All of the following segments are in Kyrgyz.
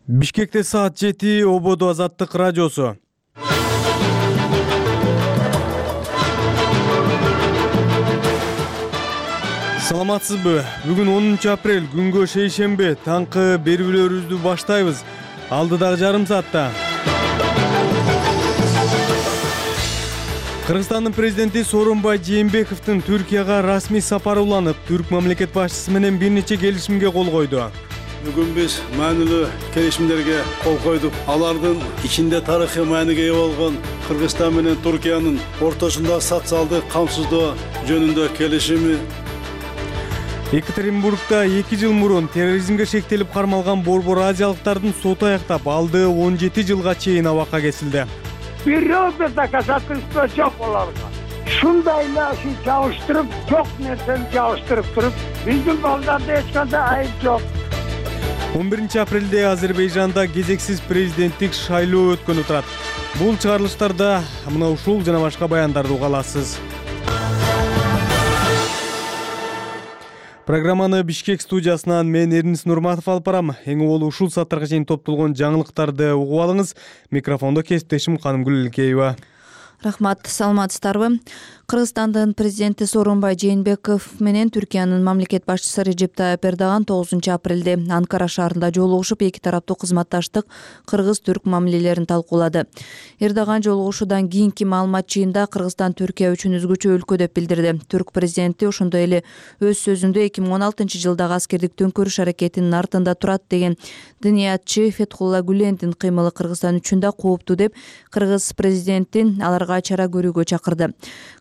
Бишкекте саат 7 Ободо Азаттык радиосу. Саламатсызбы? Бүгүн 10 апрель, күнгө шейшемби, таңкы берүүлөрүбүздү баштайбыз. Алдыдагы жарым саатта Кыргызстандын президенти Сооронбай Жээнбековдун Түркияга расмий сапары уланып, түрк мамлекет башчысы менен бир нече келишимге кол койду. Бүгүн биз маанилүү келишимдерге кол койдук. Алардын ичинде тарыхый мааниге ээ болгон Кыргызстан менен Түркиянын ортосундагы социалдык камсыздоо жөнүндө келишими. Екатеринбургда 2 жыл мурун терроризмге шектелип кармалган борбор азиялыктардын соту аяктап, алды 17 жылга чейин абакка кесилди. Бирөөбүр доказательство жок аларга. Шундай эле жабыштырып, жок нерсени жабыштырып туруп, биздин балдарда эч кандай айып жок. 11 апрелде Азербайжанда кезексиз президенттик шайлоо өткөнү турат. Бул чыгарылыштарда мына ушул жана башка баяндарды уга аласыз. Программаны Бишкек студиясынан мен Эрнис Нурматов алып барам. Эң болу ушул сааттарга чейин топтолгон жаңылыктарды угуп алыңыз. Микрофондо кесиптешим Канымгүл Илкеева. Рахмат, саламатсыздарбы? Кыргызстандын президенти Сооронбай Жээнбеков менен Түркиянын мамлекет башчысы Режеп Тайып Эрдоган 9 апрелде Анкара шаарында жолугушуп, эки тараптуу кызматташтык кыргыз-түрк мамилелерин талкуулады. Эрдоган жолугушуудан кийинки маалымат жыйында Кыргызстан Түркия үчүн өзгөчө өлкө деп билдирди. Түрк президенти ошондой эле өз сөзүндө 2016 жылдагы аскердик төңкөрүш аракетинин артында турат деген дыниятчы Фетхулла Гүлендин кыймылы Кыргызстан үчүн да кооптуу деп кыргыз президентин аларга чара көрүүгө чакырды.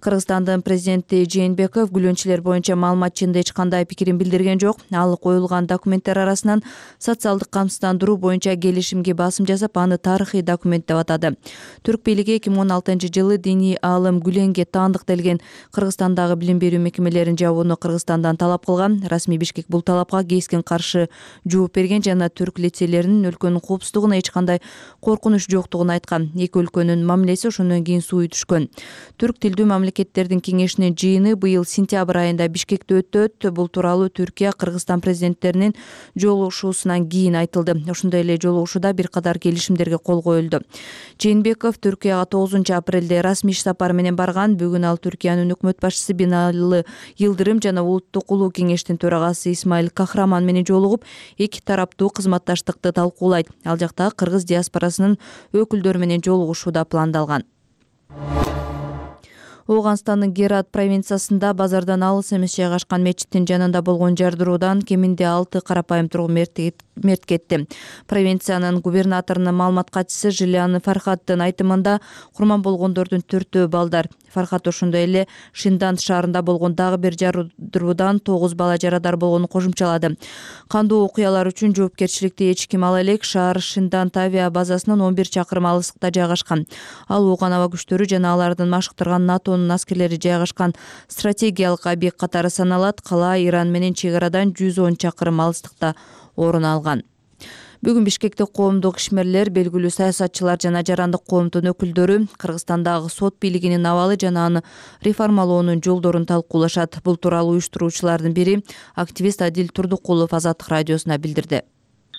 Кыргызстандын президенти Жээнбеков күлөнчүлөр боюнча маалымат жыйында эч кандай пикирин билдирген жок. Ал коюлган документтер арасынан социалдык камсыздандыруу боюнча келишимге басым жасап, аны тарыхый документ деп атады. Түрк бийлиги 2016 жылы диний аалым Гүленге таандык делген Кыргызстандагы билим берүү мекемелерин жабууну Кыргызстандан талап кылган. Расмий Бишкек бул талапка кескен каршы жооп берген жана түрк лицейлеринин өлкөнүн коопсуздугуна эч кандай коркунуч жоктугун айткан. Эки өлкөнүн мамилеси ошондон кийин сууй түшкөн. Түрк тилдүү мамлекеттердин кеңешинин жыйыны быйыл сентябрь айында Бишкекте өтөт. Бул тууралуу Түркия, Кыргызстан президенттеринин жолугушуусунан кийин айтылды. Ошондой эле жолугушууда бир катар келишимдерге кол коюлду. Жээнбеков Түркияга 9 апрелде расмий сапар менен барган. Бүгүн ал Түркиянын өкмөт башчысы Бинали Йылдырым жана Улуттук улуу кеңештин төрагасы Исмаил Кахраман менен жолугуп, эки тараптуу кызматташтыкты талкуулайт. Ал жакта кыргыз диаспорасынын өкүлдөрү менен жолугушуу да пландалган. Ооганстандын Герат провинциясында базардан алыс эмес жайгашкан мечиттин жанында болгон жардыруудан кеминде 6 карапайым тургун мерт кетти. Провинциянын губернаторунун маалымат катчысы Жилян Фархаттын айтымында курман болгондордун 4-өө балдар. Фархат ошондой эле Шиндан шаарында болгон дагы бир жардыруудан 9 бала жарадар болгонун кошумчалады. Кандуу окуялар үчүн жоопкерчиликти эч ким ала элек. Шаар Шиндан авиа базасынан 11 чакырым алыстыкта жайгашкан. Ал ооган аба күчтөрү жана алардын машыктырган НАТОнун аскерлери жайгашкан стратегиялык объект катары саналат. Кала Иран менен чек арадан 110 чакырым алыстыкта орун алган. Бүгүн Бишкекте коомдук ишмерлер, белгилүү саясатчылар жана жарандык коомдун өкүлдөрү Кыргызстандагы сот бийлигинин абалы жана аны реформалоонун жолдорун талкуулашат. Бул тууралуу уюштуруучулардын бири активист Адил Турдукулов Азаттык радиосуна билдирди.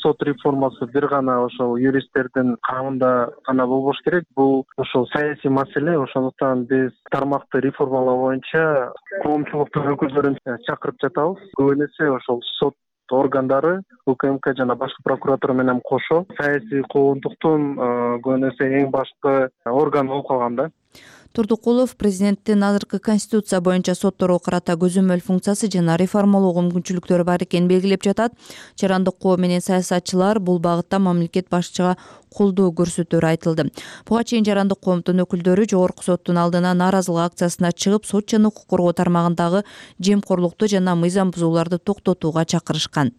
Сот реформасы бир гана ошол юристтердин карамында гана болбош керек. Бул ошол саясий маселе. Ошондуктан биз тармакты реформалоо боюнча коомчулуктун өкүлдөрүн чакырып жатабыз. Көбүн эсе ошол сот органдары, УКМК жана башкы прокуратура менен кошо саясий коомдуктун көбүн эсе эң башкы органы болуп калган да. Турдукулов президенттин азыркы конституция боюнча сотторго карата көзөмөл функциясы жана реформалоого мүмкүнчүлүктөрү бар экенин белгилеп жатат. Жарандык коом менен саясатчылар бул багытта мамлекет башчыга колдоо көрсөтөөрү айтылды. Буга чейин жарандык коомдун өкүлдөрү жогорку соттун алдына нааразылык акциясына чыгып, сот жана укук коргоо тармагындагы жемкорлукту жана мыйзам бузууларды токтотууга чакырышкан.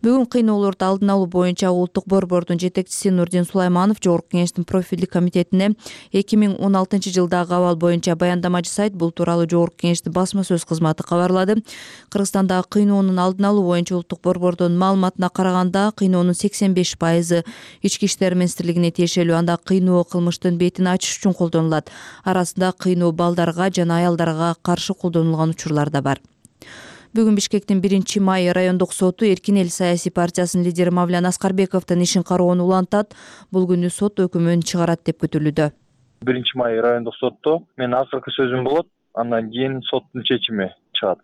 Бүгүн кыйноолорду алдын алуу боюнча улуттук борбордун жетекчиси Нурдин Сулайманов жогорку кеңештин профилдик комитетине 2016 жылдагы абал боюнча баяндама жасайт. Бул тууралуу жогорку кеңештин басма сөз кызматы кабарлады. Кыргызстандагы кыйноонун алдын алуу боюнча улуттук борбордун маалыматына караганда, кыйноонун 85% ички иштер министрлигине тиешелүү. Анда кыйноо кылмыштын бетин ачыш үчүн колдонулат. Арасында кыйноо балдарга жана аялдарга каршы колдонулган учурлар да бар. Бүгүн Бишкектин 1-май райондук соту Эркин эл саясий партиясынын лидери Мавлян Аскарбековдун ишин кароону улантат. Бул күнү сот өкүмүн чыгарат деп күтүлүүдө. 1-май райондук сотто менин акыркы сөзүм болот, андан кийин соттун чечими чыгат.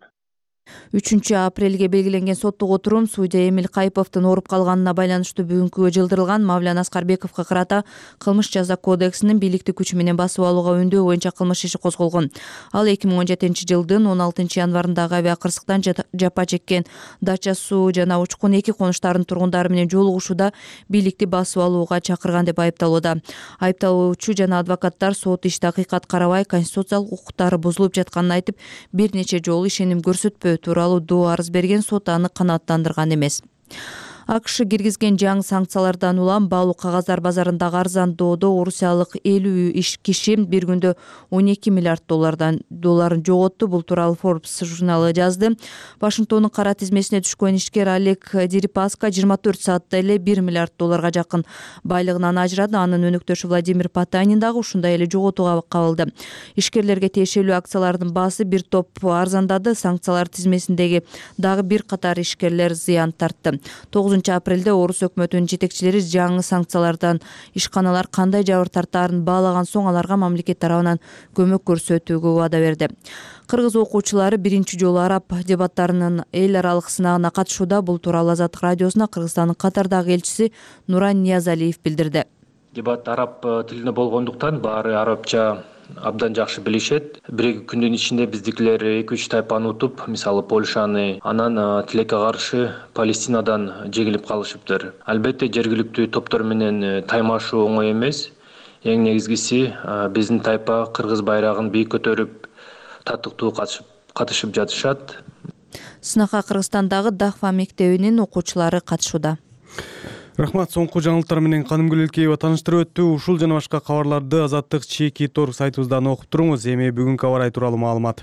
3-апрелге белгиленген соттук отурум судья Эмил Кайповдун ооруп калганына байланыштуу бүгүнкүгө жылдырылган. Мавлян Аскарбековго карата кылмыш жаза кодексинин бийликти күчү менен басып алууга үндөө боюнча кылмыш иши козголгон. Ал 2017-жылдын 16-январындагы авиакырсыктан жапа чеккен Дача суу жана Учкун 2 конуштарынын тургундары менен жолугушууда бийликти басып алууга чакырган деп айыпталууда. Айыпталуучу жана адвокаттар сот ишти акыйкат карабай, конституциялык укуктары бузулуп жатканын айтып, бир нече жолу ишеним көрсөтпөө тууралуу доо арыз берген. Сот аны канааттандырган эмес. АКШ киргизген жаңы санкциялардан улам баалуу кагаздар базарындагы арзандоодо орусиялык 50 киши бир күндө 12 миллиард долларын жоготту. Бул тууралуу Forbes журналы жазды. Вашингтондун кара тизмесине түшкөн ишкер Олег Дерипаска 24 саатта эле 1 миллиард долларга жакын байлыгынан ажырады. Анын өнөктөшү Владимир Потанин дагы ушундай эле жоготууга кабылды. Ишкерлерге тиешелүү акциялардын баасы бир топ арзандады. Санкциялар тизмесиндеги дагы бир катар ишкерлер зыян тартты. 9-апрелде орус өкмөтүнүн жетекчилери жаңы санкциялардан ишканалар кандай жабыр тартаарын баалаган соң аларга мамлекет тарабынан көмөк көрсөтүүгө убада берди. Кыргыз окуучулары биринчи жолу араб дебаттарынын эл аралык сынагына катышууда. Бул тууралуу Азаттык радиосуна Кыргызстандын Катардагы элчиси Нуран Ниязалиев билдирди. Дебат араб тилинде болгондуктан баары арабча абдан жакшы билишет. Бир күндүн ичинде биздикилер 2-3 тайпаны утуп, мисалы Польшаны, анан тилекке каршы Палестинадан жегилип калышыптыр. Албетте жергиликтүү топтор менен таймашуу оңой эмес. Эң негизгиси биздин тайпа кыргыз байрагын бийик көтөрүп, татыктуу катышып жатышат. Сынакка Кыргызстандагы Дахва мектебинин окуучулары катышууда. Рахмат, соңку жаңылыктар менен Канымгүл Элкеева тааныштырып өттү. Ушул жана башка кабарларды Азаттык /Торг сайтыбыздан окуп туруңуз. Эми бүгүнкү аба ырайы тууралуу маалымат.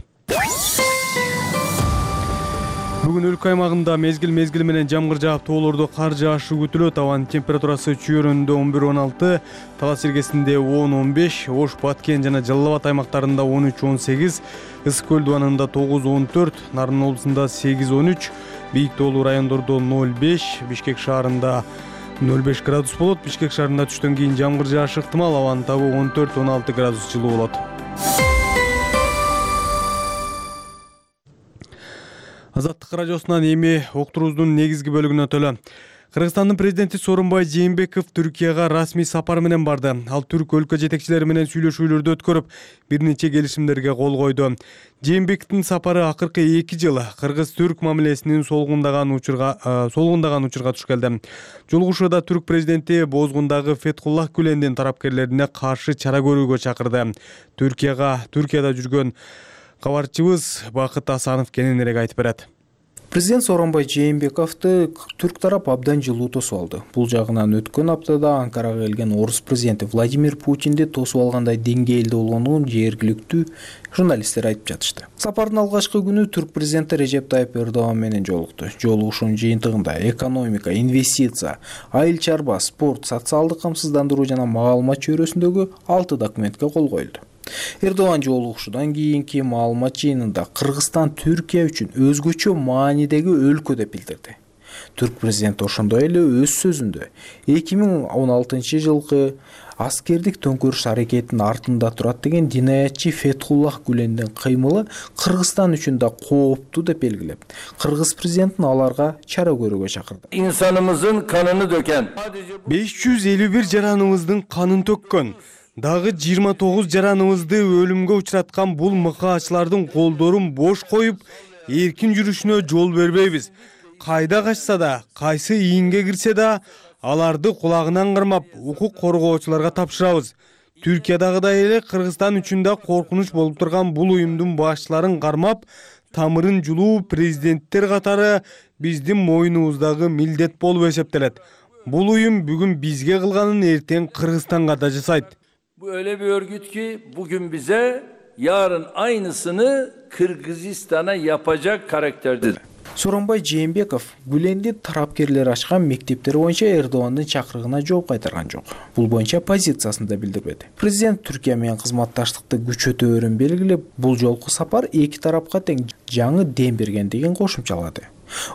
Бүгүн өлкө аймагында мезгил менен жамгыр жаап, тоолордо кар жаашы күтүлөт. Абанын температурасы Чүйөрүндө 11-16, Талас Иргесинде 10-15, Ош, Баткен жана Жалал Абад аймактарында 13-18, Ысык көл дубанында 9-14, Нарын облусунда 8-13, бийик тоолуу райондордо 0-5, Бишкек шаарында 0,5 градус болот. Бишкек шаарында түштөн кийин жамгыр жаашы ыктымал. Абанын табы 14-16 градус жылуу болот. Азаттык радиосунан эми октурубуздун негизги бөлүгүнө төлө. Кыргызстандын президенти Сооронбай Жээнбеков Түркияга расмий сапар менен барды. Ал түрк өлкө жетекчилери менен сүйлөшүүлөрдү өткөрүп, бир нече келишимдерге кол койду. Жээнбековдун сапары акыркы 2 жыл кыргыз-түрк мамилесинин солгундаган учурга туш келди. Жолугушууда түрк президенти Бозгундагы Фетхуллах Гүлендин тарапкерлерине каршы чара көрүүгө чакырды. Түркияда жүргөн кабарчыбыз Бакыт Асанов кененирээк айтып берет. Президент Сооронбай Жээнбековду түрк тарап абдан жылуу тосуп алды. Бул жагынан өткөн аптада Анкарага келген орус президенти Владимир Путинди тосуп алгандай деңгээлде болгонун жергиликтүү журналисттер айтып жатышты. Сапардын алгачкы күнү түрк президенти Режеп Тайып Эрдоган менен жолукту. Жолугушуунун жыйынтыгында экономика, инвестиция, айыл чарба, спорт, социалдык камсыздандыруу жана маалымат чөйрөсүндөгү 6 документке кол коюлду. Эрдоган жолугушуудан кийинки маалымат жыйынында Кыргызстан Түркия үчүн өзгөчө маанидеги өлкө деп билдирди. Түрк президенти ошондой эле өз сөзүндө 2016 жылкы аскердик төңкөрүш аракетинин артында турат деген динаятчы Фетхуллах Гүлендин кыймылы Кыргызстан үчүн да кооптуу деп белгилеп, кыргыз президентин аларга чара көрүүгө чакырды. İnsanımızın kanını döken 551 жараныбыздын канын төккөн, дагы 29 жараныбызды өлүмгө учураткан бул мыкаачылардын колдорун бош коюп, эркин жүрүшүнө жол бербейбиз. Кайда качса да, кайсы ийинге кирсе да, аларды кулагынан кармап, укук коргоочуларга тапшырабыз. Түркиядагыдай эле Кыргызстан үчүн да коркунуч болуп турган бул уюмдун башчыларын кармап, тамырын жулуу президенттер катары биздин мойнубуздагы милдет болуп эсептелет. Бул уюм бүгүн бизге кылганын эртең Кыргызстанга да жасайт. Bu öyle bir örgüt ki bugün bize yarın aynısını Kırgızistan'a yapacak karakterdedir. Сооронбай Жээнбеков Гүленди тарапкерлер ачкан мектептер боюнча Эрдогандын чакырыгына жооп кайтарган жок. Бул боюнча позициясын да билдирбеди. Президент Түркия менен кызматташтыкты күчөтөөрүн белгилеп, бул жолку сапар эки тарапка тең жаңы дем бергендигин кошумчалады.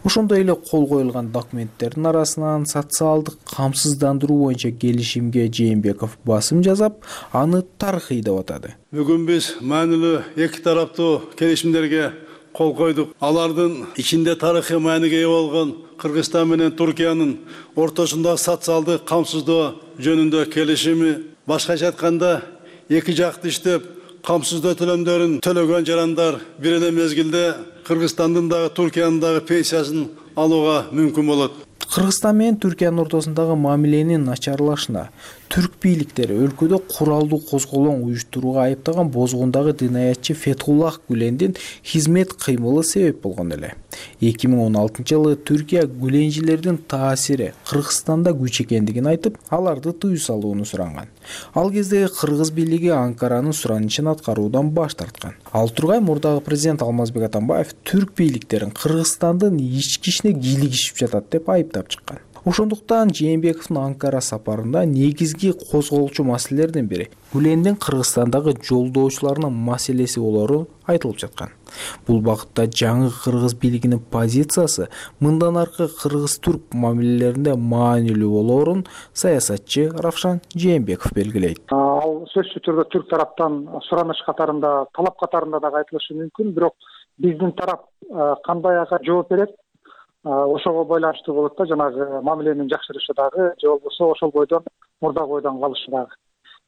Ошондой эле кол коюлган документтердин арасынан социалдык камсыздандыруу боюнча келишимге Жээнбеков басым жасап, аны тарыхый деп атады. Бүгүн биз маанилүү эки тараптуу келишимдерге кол койдук. Алардын ичинде тарыхый мааниге ээ болгон Кыргызстан менен Туркиянын ортосундагы социалдык камсыздоо жөнүндө келишими, башкача айтканда, эки жакты иштеп камсыздоо төлөмдөрүн төлөгөн жарандар бир эле мезгилде Кыргызстандын дагы Туркиянын дагы пенсиясын алууга мүмкүн болот. Кыргызстан менен Түркиянын ортосундагы мамиленин начарлашына түрк бийликтери өлкөдө куралдуу козголоң уюштурууга айыптаган бозгундагы динаятчы Фетхуллах Гүлендин хизмет кыймылы себеп болгон эле. 2016-жылы Түркия гүленжилердин таасири Кыргызстанда күч экендигин айтып, аларды тыюу салууну суранган. Ал кезде Кыргыз бийлиги Анкаранын суранычын аткаруудан баш тарткан. Ал тургай мурдагы президент Алмазбек Атамбаев түрк бийликтерин Кыргызстандын ички ишине кийлигишип жатат деп айыптап чыккан. Ошондуктан Жээнбековдун Анкара сапарында негизги козголчу маселелердин бири Гүлендин Кыргызстандагы жолдоочуларынын маселеси болору айтылып жаткан. Бул багытта жаңы кыргыз бийлигинин позициясы мындан аркы кыргыз-түрк мамилелеринде маанилүү болоорун саясатчы Равшан Жээнбеков белгилейт. Ал сөзсүз түрдө түрк тараптан сураныч катарында, талап катарында дагы айтылышы мүмкүн, бирок биздин тарап кандай ага жооп берет, ошого байланыштуу болот да, жанагы мамиленин жакшырышы дагы, же болбосо ошол бойдон мурдагы бойдон калышы дагы.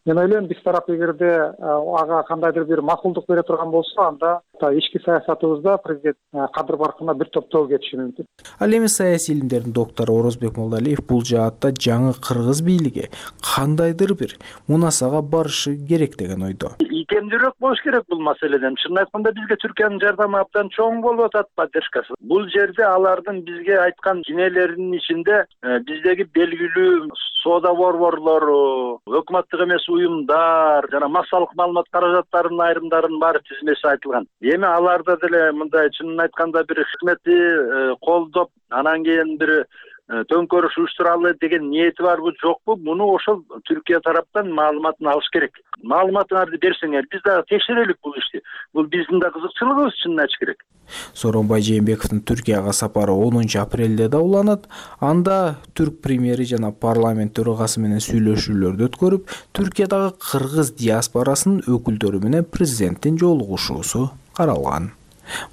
Мен ойлойм, биз тарап эгерде ага кандайдыр бир макулдук бере турган болсо, анда ички саясатыбызда президент кадыр баркына бир топтоо кетиши мүмкүн. Ал эми саясий илимдердин доктору Орозбек Молдалиев бул жаатта жаңы кыргыз бийлиги кандайдыр бир мунасага барышы керек деген ойдо. Икемдүүрөөк болуш керек бул маселеден. Чынын айтканда бизге Түркиянын жардамы абдан чоң болуп атат, поддержкасы. Бул жерде алардын бизге айткан кинелеринин ичинде биздеги белгилүү соода борборлору, өкмөттүк эмес уюмдар, жана массалык маалымат каражаттарынын айрымдарынын баары тизмеси айтылган. Эми аларда деле мындай чынын айтканда бир хизметти колдоп, анан кийин бир төңкөрүш уюштуралы деген ниети барбы жокпу, муну ошол Түркия тараптан маалыматын алыш керек. Маалыматыңарды берсеңер, биз дагы текшерелик бул ишти. Бул биздин да кызыкчылыгыбыз, чынын айтыш керек. Сооронбай Жээнбековдун Түркияга сапары 10 апрелде да уланат. Анда түрк премьери жана парламент төрагасы менен сүйлөшүүлөрдү өткөрүп, Түркиядагы кыргыз диаспорасынын өкүлдөрү менен президенттин жолугушуусу каралган.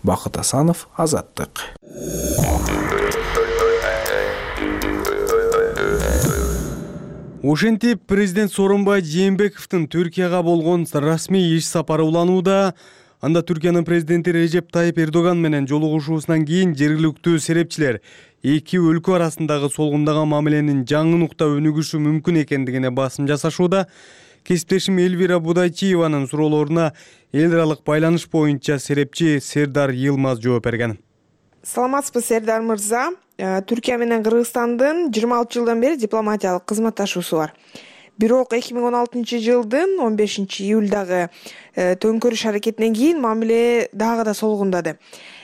Бакыт Асанов, Азаттык. Ошентип президент Сооронбай Жээнбековдун Түркияга болгон расмий иш сапары уланууда. Анда Түркиянын президенти Режеп Тайип Эрдоган менен жолугушуусунан кийин жергиликтүү серепчилер эки өлкө арасындагы солгундаган мамиленин жаңы нукта өнүгүшү мүмкүн экендигине басым жасашууда. Кесиптешим Элвира Будайчиеванын суроолоруна эл аралык байланыш боюнча серепчи Сердар Йылмаз жооп берген. Саламатсызбы, Сердар мырза. Түркия менен Кыргызстандын 26 жылдан бери дипломатиялык кызматташуусу бар. Бирок 2016 жылдын 15 июлдагы төңкөрүш аракетинен кийин мамиле дагы да солгундады.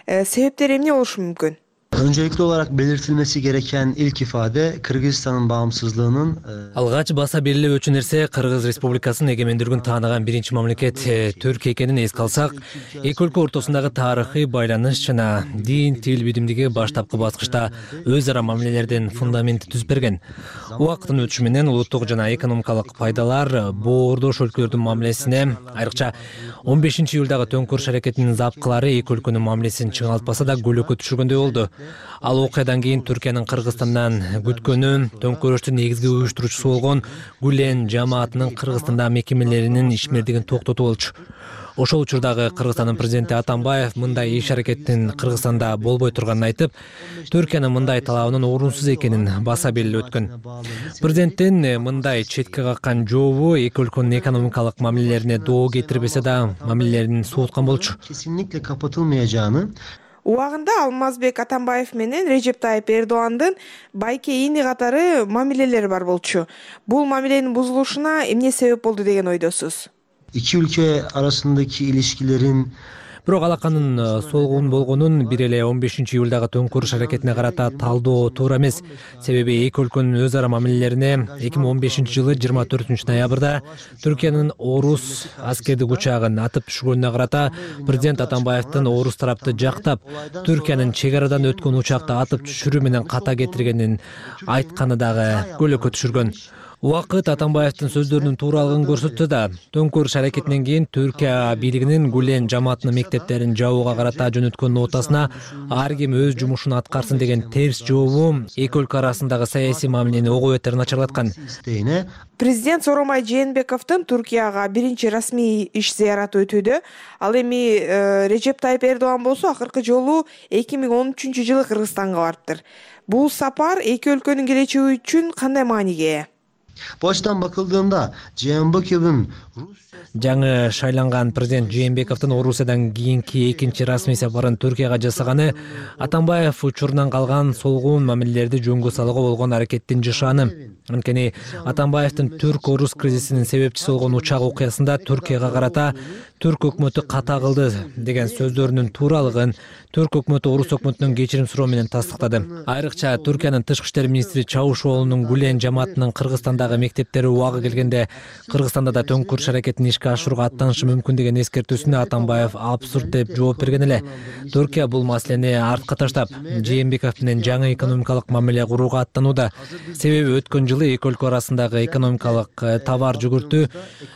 Себептери эмне болушу мүмкүн? Öncelikli olarak belirtilmesi gereken ilk ifade Kırgızistan'ın bağımsızlığının Алгач баса берилип өчү нерсе Кыргыз Республикасынын эгемендүүлүгүн тааныган биринчи мамлекет Түркия экенин эске алсак, эки өлкө ортосундагы тарыхый байланыш жана дин, тил бидимдиги баштапкы баскычта өз ара мамилелердин фундаменти түзүп берген. Убакыттын өтүшү менен улуттук жана экономикалык пайдалар боордош өлкөлөрдүн мамилесине, айрыкча 15 июлдагы төңкөрүш аракетинин запкылары эки өлкөнүн мамилесин чыңалтпаса да көлөкө түшүргөндөй болду. Ал окуядан кийин Түркиянын Кыргызстандан күткөнү төңкөрүштүн негизги уюштуруучусу болгон Гүлен жамаатынын Кыргызстандагы мекемелеринин ишмердигин токтотуу болчу. Ошол учурдагы Кыргызстандын президенти Атамбаев мындай иш аракеттин Кыргызстанда болбой турганын айтып, Түркиянын мындай талабынын орунсуз экенин баса белгилеп өткөн. Президенттин мындай четке каккан жообу эки өлкөнүн экономикалык мамилелерине доо кетирбесе да, мамилелерин сууткан болчу. Kesinlikle kapatılmayacağını Убагында Алмазбек Атамбаев менен Режеп Тайип Эрдогандын байке ини катары мамилелери бар болчу. Бул мамиленин бузулушуна эмне себеп болду деген ойдосуз? İki ülke arasındaki ilişkilerin Бирок алаканын солгун болгонун бир эле 15-июлдагы төңкүрүш аракетине карата талдоо туура эмес. Себеби эки өлкөнүн өз ара мамилелерине 2015-жылы 24-ноябрда Түркиянын орус аскердик учагын атып түшкөнүнө карата президент Атамбаевдин орус тарапты жактап, Түркиянын чек арадан өткөн учакты атып түшүрүү менен ката кетиргенин айтканы дагы көйлөккө түшүргөн. Убакыт Атамбаевдин сөздөрүнүн тууралыгын көрсөтсө да, төңкүрүш аракетинен кийин Түркия бийлигинин Гүлен жамаатынын мектептерин жабууга карата жөнөткөн нотасына ар ким өз жумушун аткарсын деген терс жообу эки өлкө арасындагы саясий мамилени ого бетер начарлаткан. Президент Сооронбай Жээнбековдун Түркияга биринчи расмий иш зыяраты өтүүдө. Ал эми Режеп Тайып Эрдоган болсо акыркы жолу 2013-жылы Кыргызстанга барыптыр. Бул сапар эки өлкөнүн келечеги үчүн кандай мааниге ээ? Bu açıdan bakıldığında Jeenbekov'un жаңы шайланган президент Жээнбековдун Орусиядан кийинки экинчи расмий сапарын Түркияга жасаганы Атамбаев учурунан калган солгун мамилелерди жөнгө салууга болгон аракеттин жышааны. Анткени Атамбаевдин түрк-орус кризисинин себепчиси болгон учак окуясында Түркияга карата түрк өкмөтү ката кылды деген сөздөрүнүн тууралыгын түрк өкмөтү орус өкмөтүнөн кечирим суроо менен тастыктады. Айрыкча Түркиянын тышкы иштер министри Чавушоğlu'нун Гүлен жамаатынын Кыргызстандагы мектептери убагы келгенде Кыргызстанда да төңкүрүш аракетин ишке ашырууга аттанышы мүмкүн деген эскертүүсүнө Атамбаев абсурд деп жооп берген эле. Түркия бул маселени артка таштап, Жээнбеков менен жаңы экономикалык мамиле курууга аттанууда. Себеби өткөн жылы эки өлкө арасындагы экономикалык товар жүгүртүү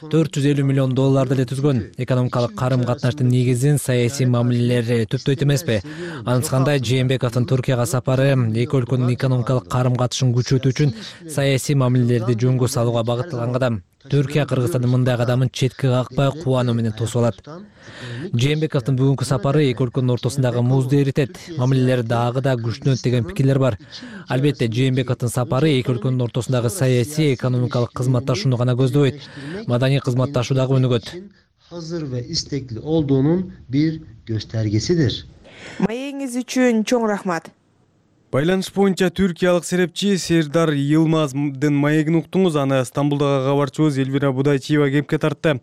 $450 миллион деле түзгөн. Экономикалык карым-катнаштын негизин саясий мамилелер түптөйт эмеспи? Анткандай Жээнбековдун Түркияга сапары эки өлкөнүн экономикалык карым-катышын күчөтүү үчүн саясий мамилелерди жөнгө салууга багытталган кадам. Түркия Кыргызстандын мындай кадамын четке какпай кубануу менен тосуп алат. Жээнбековдун бүгүнкү сапары эки өлкөнүн ортосундагы музду эритет, мамилелер дагы да күчтөнөт деген пикирлер бар. Албетте Жээнбековдун сапары эки өлкөнүн ортосундагы саясий, экономикалык кызматташууну гана көздөбөйт, маданий кызматташуу дагы өнүгөт. hazır ve istekli olduğunun bir göstergesidir. Маегиңиз үчүн чоң рахмат. Байланыш боюнча түркиялык серепчи Сердар Йылмаздын маегин уктуңуз. Аны Стамбулдагы кабарчыбыз Элвира Будайчиева кепке тартты.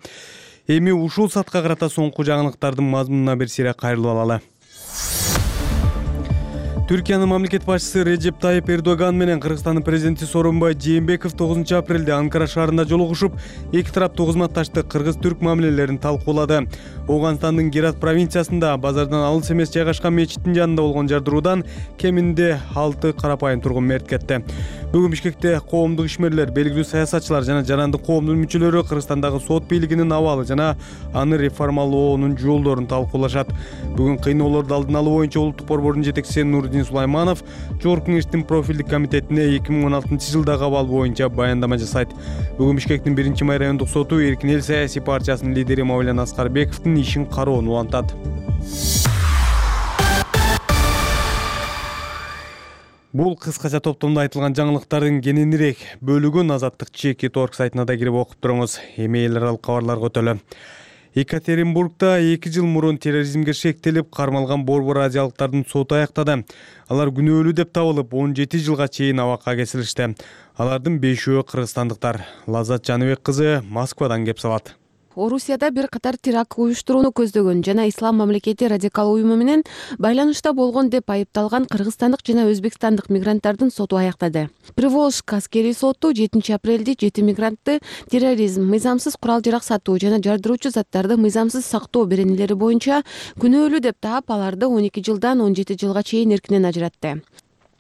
Эми ушул саатка карата соңку жаңылыктардын мазмунуна бир сире кайрылып алалы. Түркиянын мамлекет башчысы Режеп Тайып Эрдоган менен Кыргызстандын президенти Сооронбай Жээнбеков 9-апрелде Анкара шаарында жолугушуп, эки тараптуу кызматташтык кыргыз-түрк мамилелерин талкуулады. Оганстандын Герат провинциясында базардан алыс эмес жайгашкан мечиттин жанында болгон жардыруудан кеминде 6 карапайым тургун мерт кетти. Бүгүн Бишкекте коомдук ишмерлер, белгилүү саясатчылар жана жарандык коомдун мүчөлөрү Кыргызстандагы сот бийлигинин абалы жана аны реформалоонун жолдорун талкуулашат. Бүгүн кыйноолорду алдын алуу боюнча улуттук борбордун жетекчиси Нурдин Сулайманов Жогорку Кеңештин профилдик комитетине 2016-жылдагы абал боюнча баяндама жасайт. Бүгүн Бишкектин 1-май райондук соту Эркин эл саясий партиясынын лидери Мавлен Аскарбековдун ишин кароону улантат. Бул кыскача топтомдо айтылган жаңылыктардын кененирээк бөлүгүн Азаттык Чеки.org сайтына да кирип окуп туруңуз. Эми эл аралык кабарларга өтөлө. Екатеринбургда 2 жыл мурун терроризмге шектелип кармалган борбор азиялыктардын соту аяктады. Алар күнөөлүү деп табылып, 17 жылга чейин абакка кесилишти. Алардын 5-өө кыргызстандыктар. Лаззат Жаныбек кызы Москвадан кеп салат. Орусияда бир катар теракт уюштурууну көздөгөн жана Ислам мамлекети радикал уюму менен байланышта болгон деп айыпталган кыргызстандык жана өзбекстандык мигранттардын соту аяктады. Приволжск аскерий соту 7-апрелде 7 мигрантты терроризм, мыйзамсыз курал-жарак сатуу жана жардыруучу заттарды мыйзамсыз сактоо беренелери боюнча күнөөлүү деп таап, аларды 12 жылдан 17 жылга чейин эркинен ажыратты.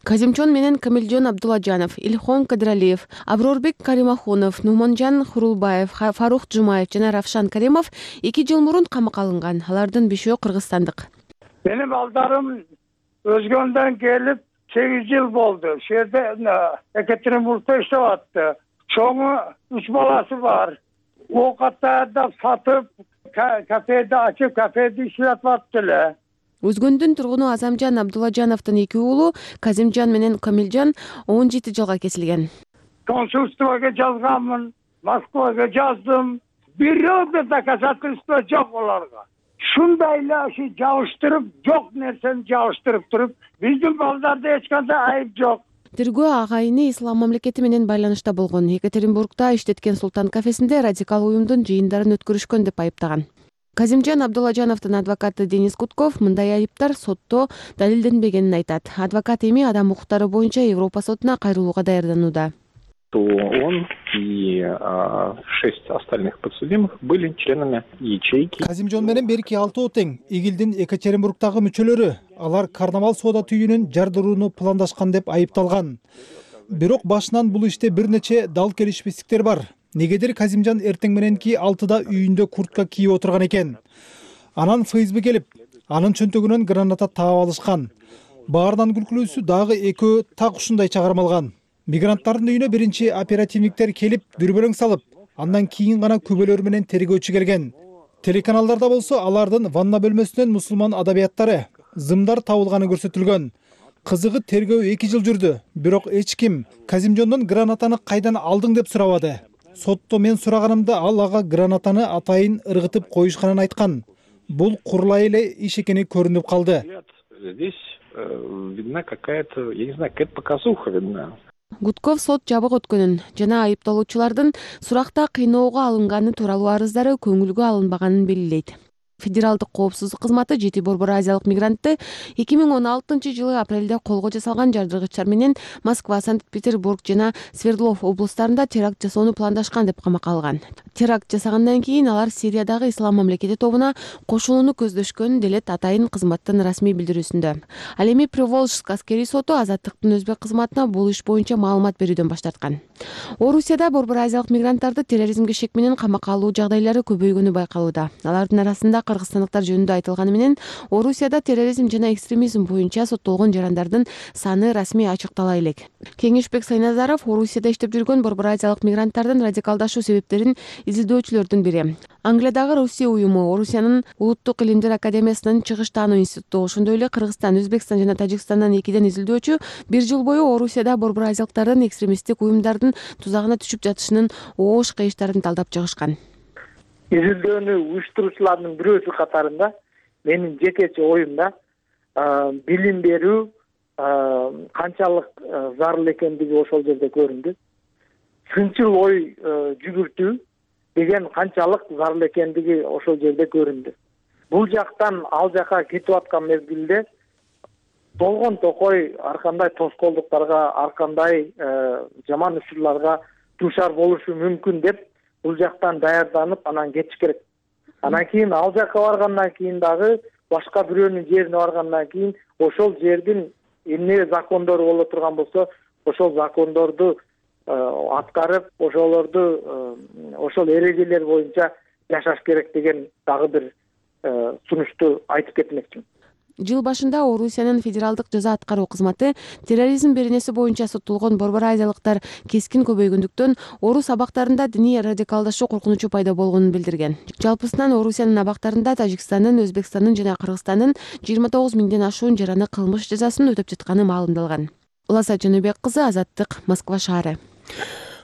Казимчон менен Камилжон Абдулладжанов, Ильхон Кадралиев, Аброрбек Каримахунов, Нуманжан Хурулбаев, Фарух Жумаев жана Равшан Каримов 2 жыл мурун камакка алынган. Алардын 5-өө кыргызстандык. Менин балдарым өзгөндөн келип 8 жыл болду. Ошол жерде Екатеринбургда иштеп атты. Чоңу 3 баласы бар. Оокат даярдап сатып, кафеди ачып, кафеди иштеп атты эле. Өзгөндүн тургуну Азамжан Абдулладжановдун 2 уулу Казимжан менен Камилжан 17 жылга кесилген. Консульствого жазганмын, Москвага жаздым. Бирөө доказательство жок аларга. Шундай эле жабыштырып, жок нерсени жабыштырып туруп, биздин балдарда эч кандай айып жок. Тергөө агайыны Ислам мамлекети менен байланышта болгон. Екатеринбургда иштеткен Султан кафесинде радикал уюмдун жыйындарын өткөрүшкөн деп айыптаган. Казимжан Абдуллажановдун адвокаты Денис Гудков мындай айыптар сотто далилденбегенин айтат. Адвокат эми адам укуктары боюнча Европа сотуна кайрылууга даярданууда. Он и 6 остальных подсудимых были членами ячейки. Казимжон менен берки 6 тең Игилдин Екатеринбургдагы мүчөлөрү алар карнавал соода түйүнүн жардырууну пландашкан деп айыпталган. Бирок башынан бул иште бир нече дал келишпестиктер бар. Негедир Казимжан эртең мененки 6да үйүндө куртка кийип отурган экен. Анан ФСБ келип, анын чөнтөгүнөн граната таап алышкан. Баарынан күлкүлүүсү дагы экөө так ушундай чыгармалган. Мигранттардын үйүнө биринчи оперативниктер келип, дүрбөлөң салып, андан кийин гана күбөлөр менен тергөөчү келген. Телеканалдарда болсо алардын ванна бөлмөсүнөн мусулман адабияттары, зымдар табылганы көрсөтүлгөн. Кызыгы тергөө 2 жыл жүрдү, бирок эч ким Казимжондон гранатаны кайдан алдың деп сурабады. Сотто мен сураганымда ал ага гранатаны атайын ыргытып коюшканын айткан. Бул курулай эле иш экени көрүнүп калды. Здесь видна какая-то, я не знаю, какая-то показуха видна. Гудков сот жабык өткөнүн жана айыпталуучулардын суракта кыйноого алынганы тууралуу арыздары көңүлгө алынбаганын белгилейт. Федералдык коопсуздук кызматы жети борбор азиялык мигрантты 2016-жылы апрелде колго жасалган жардыргычтар менен Москва, Санкт-Петербург жана Свердлов облустарында теракт жасоону пландашкан деп камакка алган. Теракт жасагандан кийин алар Сириядагы Ислам мамлекети тобуна кошулууну көздөшкөнүн делет атайын кызматтын расмий билдирүүсүндө. Ал эми Приволжск аскерий соту азаттыктын өзбек кызматына бул иш боюнча маалымат берүүдөн баш тарткан. Орусияда борбор азиялык мигранттарды терроризмге шек менен камакка алуу жагдайлары көбөйгөнү байкалууда. Алардын арасында кыргызстандыктар жөнүндө айтылганы менен Орусияда терроризм жана экстремизм боюнча соттолгон жарандардын саны расмий ачыктала элек. Кеңешбек Сайназаров Орусияда иштеп жүргөн борбор азиялык мигранттардын радикалдашуу себептерин изилдөөчүлөрдүн бири. Англиядагы Русия уюму, Орусиянын Улуттук илимдер академиясынын чыгыш таануу институту, ошондой эле Кыргызстан, Өзбекстан жана Тажикстандан 2ден изилдөөчү 1 жыл бою Орусияда борбор азиялыктардын экстремисттик уюмдардын тузагына түшүп жатышынын оош кыйыштарын талдап чыгышкан. Изилдөөнү уюштуруучулардын бирөөсү катарында менин жекече оюмда билим берүү канчалык зарыл экендиги ошол жерде көрүндү. Сынчыл ой жүгүртүү деген канчалык зарыл экендиги ошол жерде көрүндү. Бул жактан ал жака кетип аткан мезгилде болгон токой ар кандай тоскоолдуктарга, ар кандай жаман учурларга дуушар болушу мүмкүн деп бул жактан даярданып анан кетиш керек. Анан кийин ал жакка баргандан кийин дагы башка бирөөнүн жерине баргандан кийин ошол жердин эмне закондору боло турган болсо, ошол закондорду аткарып, ошол эрежелер боюнча жашаш керек деген дагы бир сунушту айтып кетмекчимин. Жыл башында Орусиянын федералдык жаза аткаруу кызматы терроризм беренеси боюнча соттолгон борбор азиялыктар кескин көбөйгөндүктөн орус абактарында диний радикалдашуу коркунучу пайда болгонун билдирген. Жалпысынан Орусиянын абактарында Тажикстандын, Өзбекстандын жана Кыргызстандын 29 миңден ашуун жараны кылмыш жазасын өтөп жатканы маалымдалган. Уласа Жөнөбек кызы, Азаттык, Москва шаары.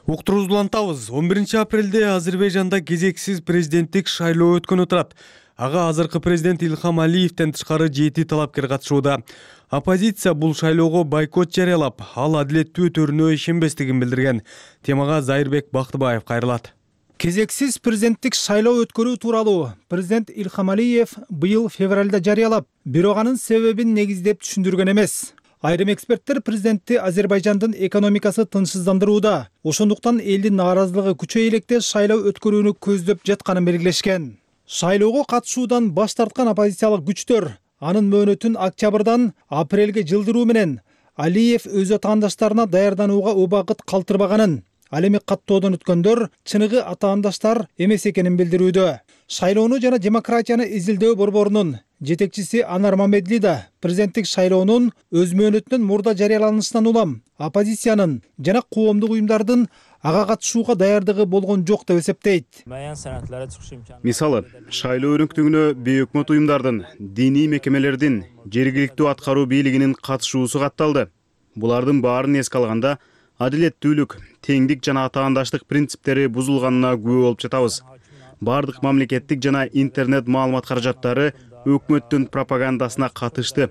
Уктуруубузду улантабыз. 11 апрелде Азербайжанда кезексиз президенттик шайлоо өткөнү турат. Ага азыркы президент Илхам Алиевден тышкары 7 талапкер катышууда. Оппозиция бул шайлоого бойкот жарыялап, ал адилеттүү өтөрүнө ишенбестигин билдирген. Темага Зайырбек Бактыбаев кайрылат. Кезексиз президенттик шайлоо өткөрүү тууралуу президент Илхам Алиев быйыл февралда жарыялап, бирок анын себебин негиздеп түшүндүргөн эмес. Айрым эксперттер президентти Азербайжандын экономикасы тынчсыздандырууда, ошондуктан элдин нааразылыгы күчөйө электе шайлоо өткөрүүнү көздөп жатканын белгилешкен. Шайлоого катышуудан баш тарткан оппозициялык күчтөр анын мөөнөтүн октябрдан апрелге жылдыруу менен Алиев өз атаандаштарына даярданууга убакыт калтырбаганын, ал эми каттоодон өткөндөр чыныгы атаандаштар эмес экенин билдирүүдө. Шайлоону жана демократияны изилдөө борборунун жетекчиси Анар Мамедли да президенттик шайлоонун өз мөөнөтүнөн мурда жарыяланышынан улам оппозициянын жана коомдук уюмдардын ага катышууга даярдыгы болгон жок деп эсептейт. Мисалы, шайлоо өрүнктүгүнө бейөкмөт уюмдардын, диний мекемелердин, жергиликтүү аткаруу бийлигинин катышуусу катталды. Булардын баарын эске алганда, адилеттүүлүк, теңдик жана атаандаштык принциптери бузулганына күбө болуп жатабыз. Бардык мамлекеттик жана интернет маалымат каражаттары өкмөттүн пропагандасына катышты.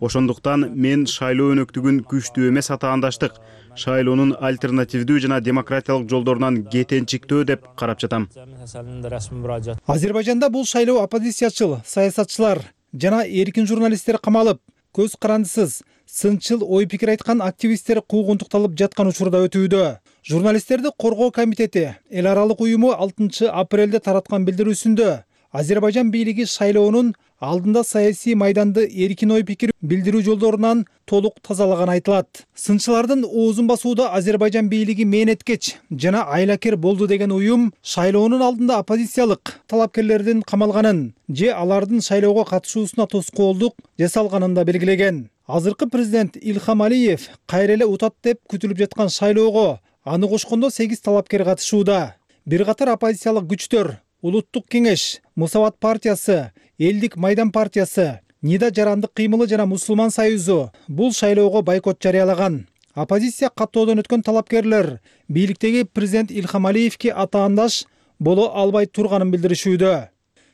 Ошондуктан мен шайлоо өнөктүгүн күчтүү эмес атаандаштык, шайлоонун альтернативдүү жана демократиялык жолдорунан кетенчиктөө деп карап жатам. Азербайжанда бул шайлоо оппозициячыл, саясатчылар жана эркин журналисттер камалып, көз карандысыз, сынчыл ой пикир айткан активисттер куугунтукталып жаткан учурда өтүүдө. Журналисттерди коргоо комитети эл аралык уюму 6 апрелде тараткан билдирүүсүндө Азербайжан бийлиги шайлоонун алдында саясий майданды эркин ой пикир билдирүү жолдорунан толук тазалаган айтылат. Сынчылардын оозун басууда Азербайжан бийлиги мээнеткеч жана айлакер болду деген уюм шайлоонун алдында оппозициялык талапкерлердин камалганын же алардын шайлоого катышуусуна тоскоолдук жасалганын да белгилеген. Азыркы президент Илхам Алиев кайра эле утат деп күтүлүп жаткан шайлоого аны кошкондо 8 талапкер катышууда. Бир катар оппозициялык күчтөр Улуттук кеңеш, Мусават партиясы, Элдик майдан партиясы, Нида жарандык кыймылы жана Мусулман союзу бул шайлоого бойкот жарыялаган. Оппозиция каттоодон өткөн талапкерлер бийликтеги президент Илхам Алиевке атаандаш боло албай турганын билдиришүүдө.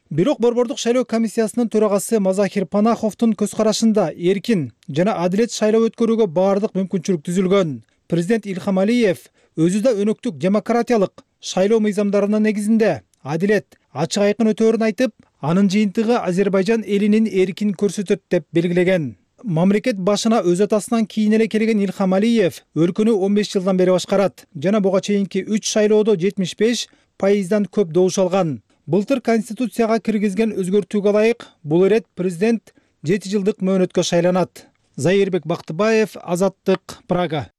Бирок Борбордук шайлоо комиссиясынын төрагасы Мазахир Панаховдун көз карашында эркин жана адилет шайлоо өткөрүүгө баардык мүмкүнчүлүк түзүлгөн. Президент Илхам Алиев өзү да өнөктүк демократиялык шайлоо мыйзамдарынын негизинде адилет, ачык айкын өтөөрүн айтып, анын жыйынтыгы Азербайжан элинин эркин көрсөтөт деп белгилеген. Мамлекет башына өз атасынан кийин эле келген Илхам Алиев өлкөнү 15 жылдан бери башкарат жана буга чейинки 3 шайлоодо 75% көп добуш алган. Былтыр конституцияга киргизген өзгөртүүгө ылайык бул ирет президент 7 жылдык мөөнөткө шайланат. Зайырбек Бактыбаев, Азаттык, Прага.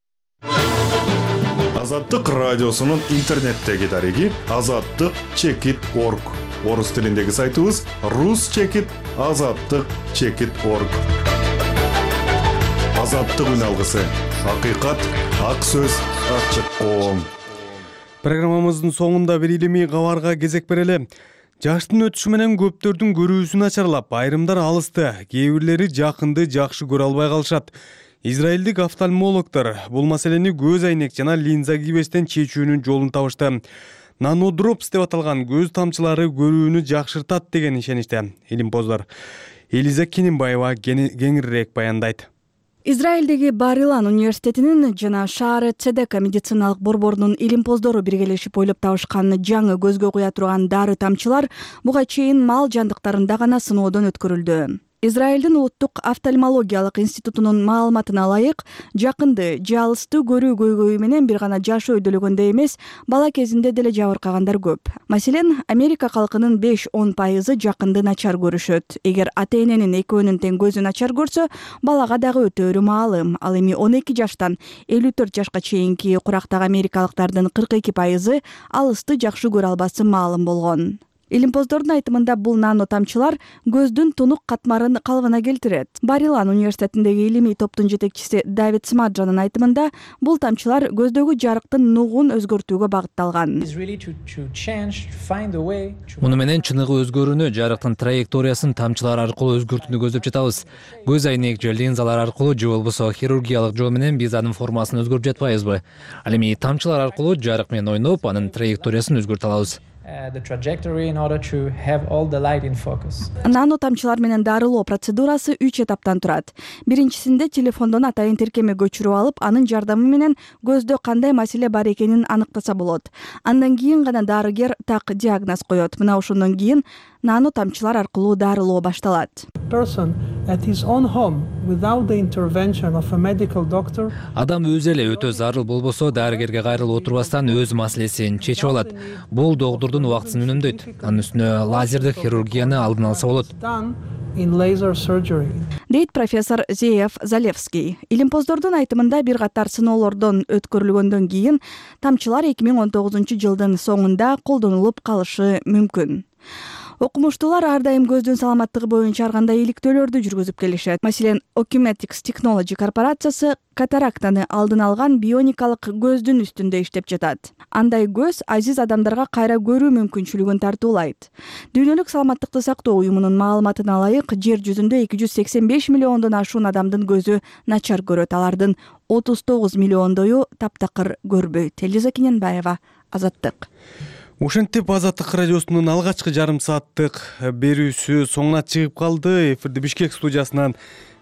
Азаттык радиосунун интернеттеги дареги azattyk.org. Орус тилиндеги сайтыбыз rus.azattyk.org. Азаттык үн алгысы. Акыйкат, ак сөз, ачык коом. Программамыздын соңунда бир илимий кабарга кезек берели. Жаштын өтүшү менен көптөрдүн көрүүсү начарлап, айрымдар алысты, кээ бирлери жакынды жакшы көрө албай калышат. Израилдик офтальмологдор бул маселени көз айнек жана линза кийбестен чечүүнүн жолун табышты. Нанодропс деп аталган көз тамчылары көрүүнү жакшыртат деген ишеничте илимпоздор. Элиза Кененбаева кеңирээк баяндайт. Израилдеги Бар-Илан университетинин жана Шааре Цедека медициналык борборунун илимпоздору биргелешип ойлоп табышкан жаңы көзгө куя турган дары тамчылар буга чейин мал жандыктарында гана сыноодон өткөрүлдү. Израилдин улуттук офтальмологиялык институтунун маалыматына ылайык, жакынды же алысты көрүү көйгөйү менен бир гана жашы өйдөлөгөндө эмес, бала кезинде деле жабыркагандар көп. Маселен, Америка калкынын 5-10% жакынды начар көрүшөт. Эгер ата-эненин экөөнүн тең көзү начар көрсө, балага дагы өтө өрү маалым. Ал эми 12 жаштан 54 жашка чейинки курактагы америкалыктардын 42% алысты жакшы көрө албасы маалым болгон. Илимпоздордун айтымында бул нано тамчылар көздүн тунук катмарын калыбына келтирет. Бар-Илан университетиндеги илимий топтун жетекчиси Давид Смаджанын айтымында бул тамчылар көздөгү жарыктын нугун өзгөртүүгө багытталган. Муну менен чыныгы өзгөрүүнү, жарыктын траекториясын тамчылар аркылуу өзгөртүүнү көздөп жатабыз. Көз айнек же линзалар аркылуу же болбосо хирургиялык жол менен биз анын формасын өзгөртүп жатпайбызбы? Ал эми тамчылар аркылуу жарык менен ойноп, анын траекториясын өзгөртө алабыз. Нано тамчылар менен дарылоо процедурасы 3 этаптан турат. Биринчисинде телефондон атайын тиркеме көчүрүп алып, анын жардамы менен көздө кандай маселе бар экенин аныктаса болот. Андан кийин гана дарыгер так диагноз коет. Мына ошондон кийин нано тамчылар аркылуу дарылоо башталат. Адам өзү эле өтө зарыл болбосо, дарыгерге кайрылып отурбастан өз маселесин чечип алат. Бул доктурдун убактысын үнөмдөйт. Анын үстүнө лазердик хирургияны алдын алса болот. Дейт профессор Зеев Залевский. Илимпоздордун айтымында бир катар сыноолордон өткөрүлгөндөн кийин тамчылар 2019 жылдын соңунда колдонулуп калышы мүмкүн. Окумуштуулар ар дайым көздүн саламаттыгы боюнча ар кандай иликтөөлөрдү жүргүзүп келишет. Маселен, Ocumetrics Technology корпорациясы катарактаны алдын алган бионикалык көздүн үстүндө иштеп жатат. Андай көз азиз адамдарга кайра көрүү мүмкүнчүлүгүн тартуулайт. Дүйнөлүк саламаттыкты сактоо уюмунун маалыматына ылайык, жер жүзүндө 285 миллиондон ашуун адамдын көзү начар көрөт. Алардын 39 миллиондою таптакыр көрбөйт. Элиза Кененбаева, Азаттык. Ушинтип Азаттык радиосунун алгачкы жарым сааттык берүүсү соңуна чыгып калды. Эфирди Бишкек студиясынан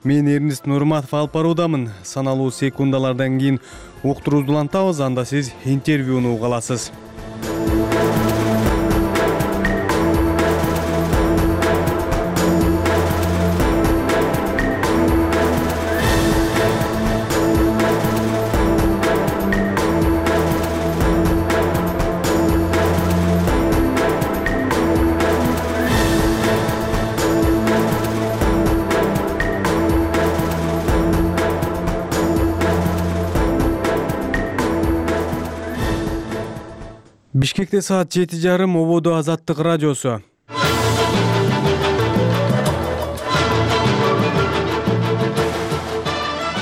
Мен Эрнест Нурматов алып баруудамын. Саналуу секундалардан кийин уктурууну улантабыз, анда сиз интервьюну уга аласыз. Бишкекте саат 7:30, ободо Азаттык радиосу.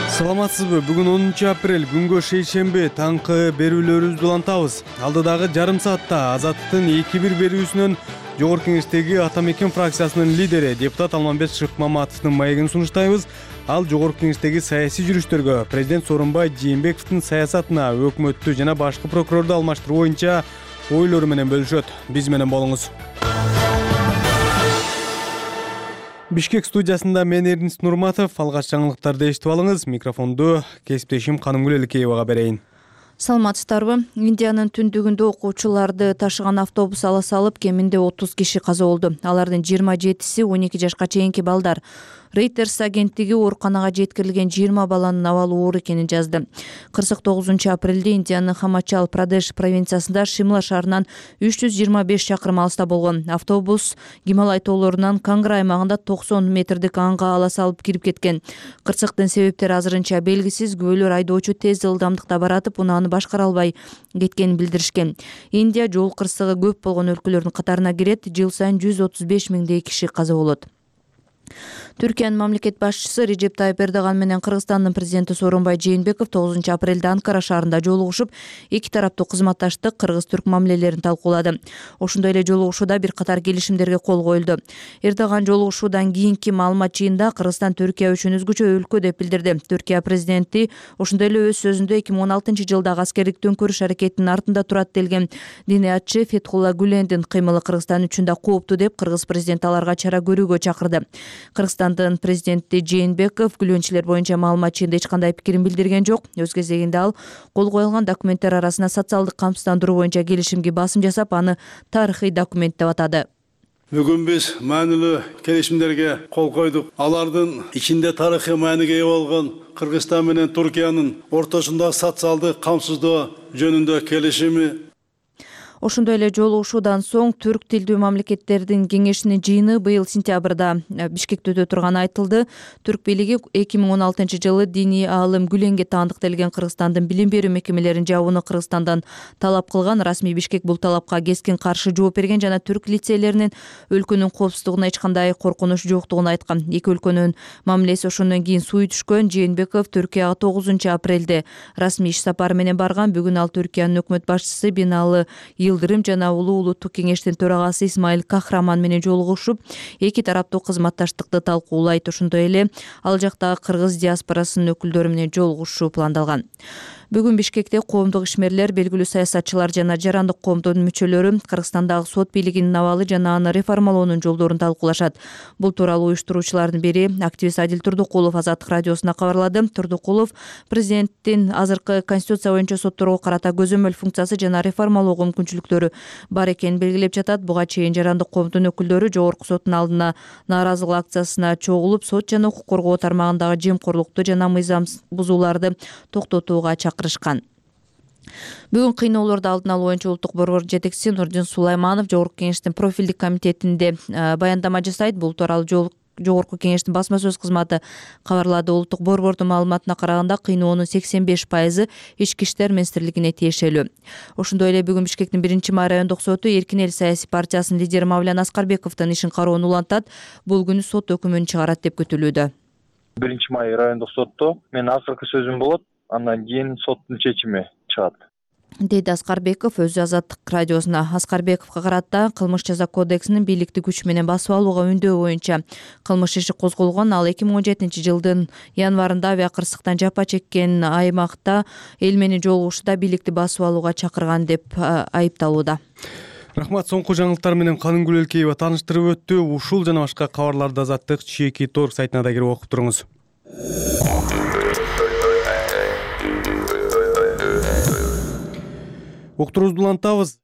Саламатсызбы? Бүгүн 10 апрель, күнгө шейшемби, таңкы берүүлөрүбүздү улантабыз. Алдыдагы жарым саатта Азаттын 2-1 берүүсүнөн Жогорку Кеңештеги Ата Мекен фракциясынын лидери депутат Алмамбет Шыкмаматовдун маегин сунуштайбыз. Ал Жогорку Кеңештеги саясий жүрүштөргө, президент Сооронбай Жээнбековдун саясатына, өкмөттү жана башкы прокурорду алмаштыруу боюнча ойлору менен бөлүшөт. Биз менен болуңуз. Бишкек студиясында мен Эрнест Нурматов, алгач жаңылыктарды эшитип алыңыз. Микрофонду кесиптешим Канымгүл Эликеевага берейин. Саламатсыздарбы? Индиянын түндүгүндө окуучуларды ташыган автобус ала салып, кеминде 30 киши каза болду. Алардын 27-си 12 жашка чейинки балдар. Reuters агенттиги ооруканага жеткирилген 20 баланын абалы оор экенин жазды. 49 апрелде Индиянын Хамачал Прадеш провинциясында Шимла шаарынан 325 чакырым алыста болгон. Автобус Гималай тоолорунан Кангра аймагында 90 метрдик анга ала салып кирип кеткен. Кырсыктын себептери азырынча белгисиз. Күбөлөр айдоочу тез ылдамдыкта баратып, унааны башкара албай кеткенин билдиришкен. Индия жол кырсыгы көп болгон өлкөлөрдүн катарына кирет. Жыл сайын 135 миңдей киши каза болот. Түркиянын мамлекет башчысы Режеп Тайып Эрдоган менен Кыргызстандын президенти Сооронбай Жээнбеков 9 апрелде Анкара шаарында жолугушуп, эки тараптуу кызматташтык, кыргыз-түрк мамилелерин талкуулады. Ошондой эле жолугушууда бир катар келишимдерге кол коюлду. Эрдоган жолугушуудан кийинки маалымат жыйында Кыргызстан Түркия үчүн өзгөчө өлкө деп билдирди. Түркия президенти ошондой эле өз сөзүндө 2016 жылдагы аскердик төңкөрүш аракетинин артында турат делген диниятчы Фетхулла Гүлендин кыймылы Кыргызстан үчүн да кооптуу деп Кыргыз президенти аларга чара көрүүгө чакырды. Кыргызстандын президенти Жээнбеков күлөнчүлөр боюнча маалымат жыйында эч кандай пикирин билдирген жок. Өз кезегинде ал кол коюлган документтер арасына социалдык камсыздандыруу боюнча келишимге басым жасап, аны тарыхый документ деп атады. Бүгүн биз маанилүү келишимдерге кол койдук. Алардын ичинде тарыхый мааниге ээ болгон Кыргызстан менен Туркиянын ортосунда социалдык камсыздоо жөнүндө келишими. Ошондой эле жолугушуудан соң түрк тилдүү мамлекеттердин кеңешинин жыйыны быйыл сентябрда Бишкекте өтө турганы айтылды. Түрк бийлиги 2016 жылы диний аалым Гүленге таандык делген Кыргызстандын билим берүү мекемелерин жабууну Кыргызстандан талап кылган. Расмий Бишкек бул талапка кескин каршы жооп берген жана түрк лицейлеринин өлкөнүн коопсуздугуна эч кандай коркунуч жоктугун айткан. Эки өлкөнүн мамилеси ошондон кийин суй түшкөн. Жээнбеков Түркияга 9 апрелде расмий иш сапары менен барган. Бүгүн ал Түркиянын өкмөт башчысы Биналы Йылдырым жана Улуу улуттук кеңештин төрагасы Исмаил Кахраман менен жолугушуп, эки тараптуу кызматташтыкты талкуулайт. Ошондой эле ал жактагы кыргыз диаспорасынын өкүлдөрү менен жолугушуу пландалган. Бүгүн Бишкекте коомдук ишмерлер, белгилүү саясатчылар жана жарандык коомдун мүчөлөрү Кыргызстандагы сот бийлигинин абалы жана аны реформалоонун жолдорун талкуулашат. Бул тууралуу уюштуруучулардын бири активист Адил Турдукулов Азаттык радиосуна кабарлады. Турдукулов президенттин азыркы конституция боюнча сотторго карата көзөмөл функциясы жана реформалоого мүмкүнчүлүктөрү бар экенин белгилеп жатат. Буга чейин жарандык коомдун өкүлдөрү жогорку соттун алдына нааразылык акциясына чогулуп, сот жана укук коргоо тармагындагы жемкорлукту жана мыйзам бузууларды токтотууга чакырышкан. Бүгүн кыйноолорду алдын алуу боюнча улуттук борбор жетекчиси Нурдин Сулайманов Жогорку Кеңештин профилдик комитетинде баяндама жасайт. Бул тууралуу Жогорку Кеңештин басма сөз кызматы кабарлады. Улуттук борбордун маалыматына караганда кыйноонун 85% ички иштер министрлигине тиешелүү. Ошондой эле бүгүн Бишкектин 1-май райондук соту Эркин эл саясий партиясынын лидери Мавлян Аскарбековдун ишин кароону улантат. Бул күнү сот өкүмүн чыгарат деп күтүлүүдө. 1-май райондук сотто менин акыркы сөзүм болот. Андан кийин соттун чечими чыгат, деди Аскарбеков өзү Азаттык радиосуна. Аскарбековго карата кылмыш жаза кодексинин бийликти күч менен басып алууга үндөө боюнча кылмыш иши козголгон. Ал 2017 жылдын январында авиа кырсыктан жапа чеккен аймакта эл менен жолугушууда бийликти басып алууга чакырган деп айыпталууда. Рахмат. Соңку жаңылыктар менен Канымгүл Эликеева тааныштырып өттү. Ушул жана башка кабарларды Азаттык /Торг сайтына да кирип окуп туруңуз. Уктуруубузду улантабыз.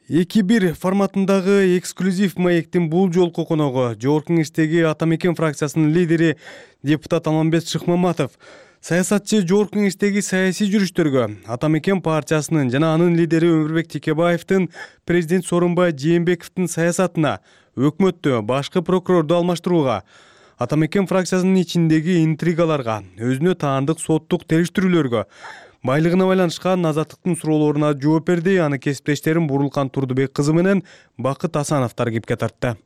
2-1 форматындагы эксклюзив маектин бул жолку коногу Жогорку Кеңештеги Ата Мекен фракциясынын лидери депутат Алмамбет Шыкмаматов. Саясатчы Жогорку Кеңештеги саясий жүрүштөргө Ата Мекен партиясынын жана анын лидери Өмүрбек Текебаевдин президент Сооронбай Жээнбековдун саясатына, өкмөттү, башкы прокурорду алмаштырууга, Ата Мекен фракциясынын ичиндеги интригаларга, өзүнө таандык соттук териштирүүлөргө, байлыгына байланышкан азаттыктын суроолоруна жооп берди. Аны кесиптештерим Бурулкан Турдубек кызы менен Бакыт Асановдор кепке тартты.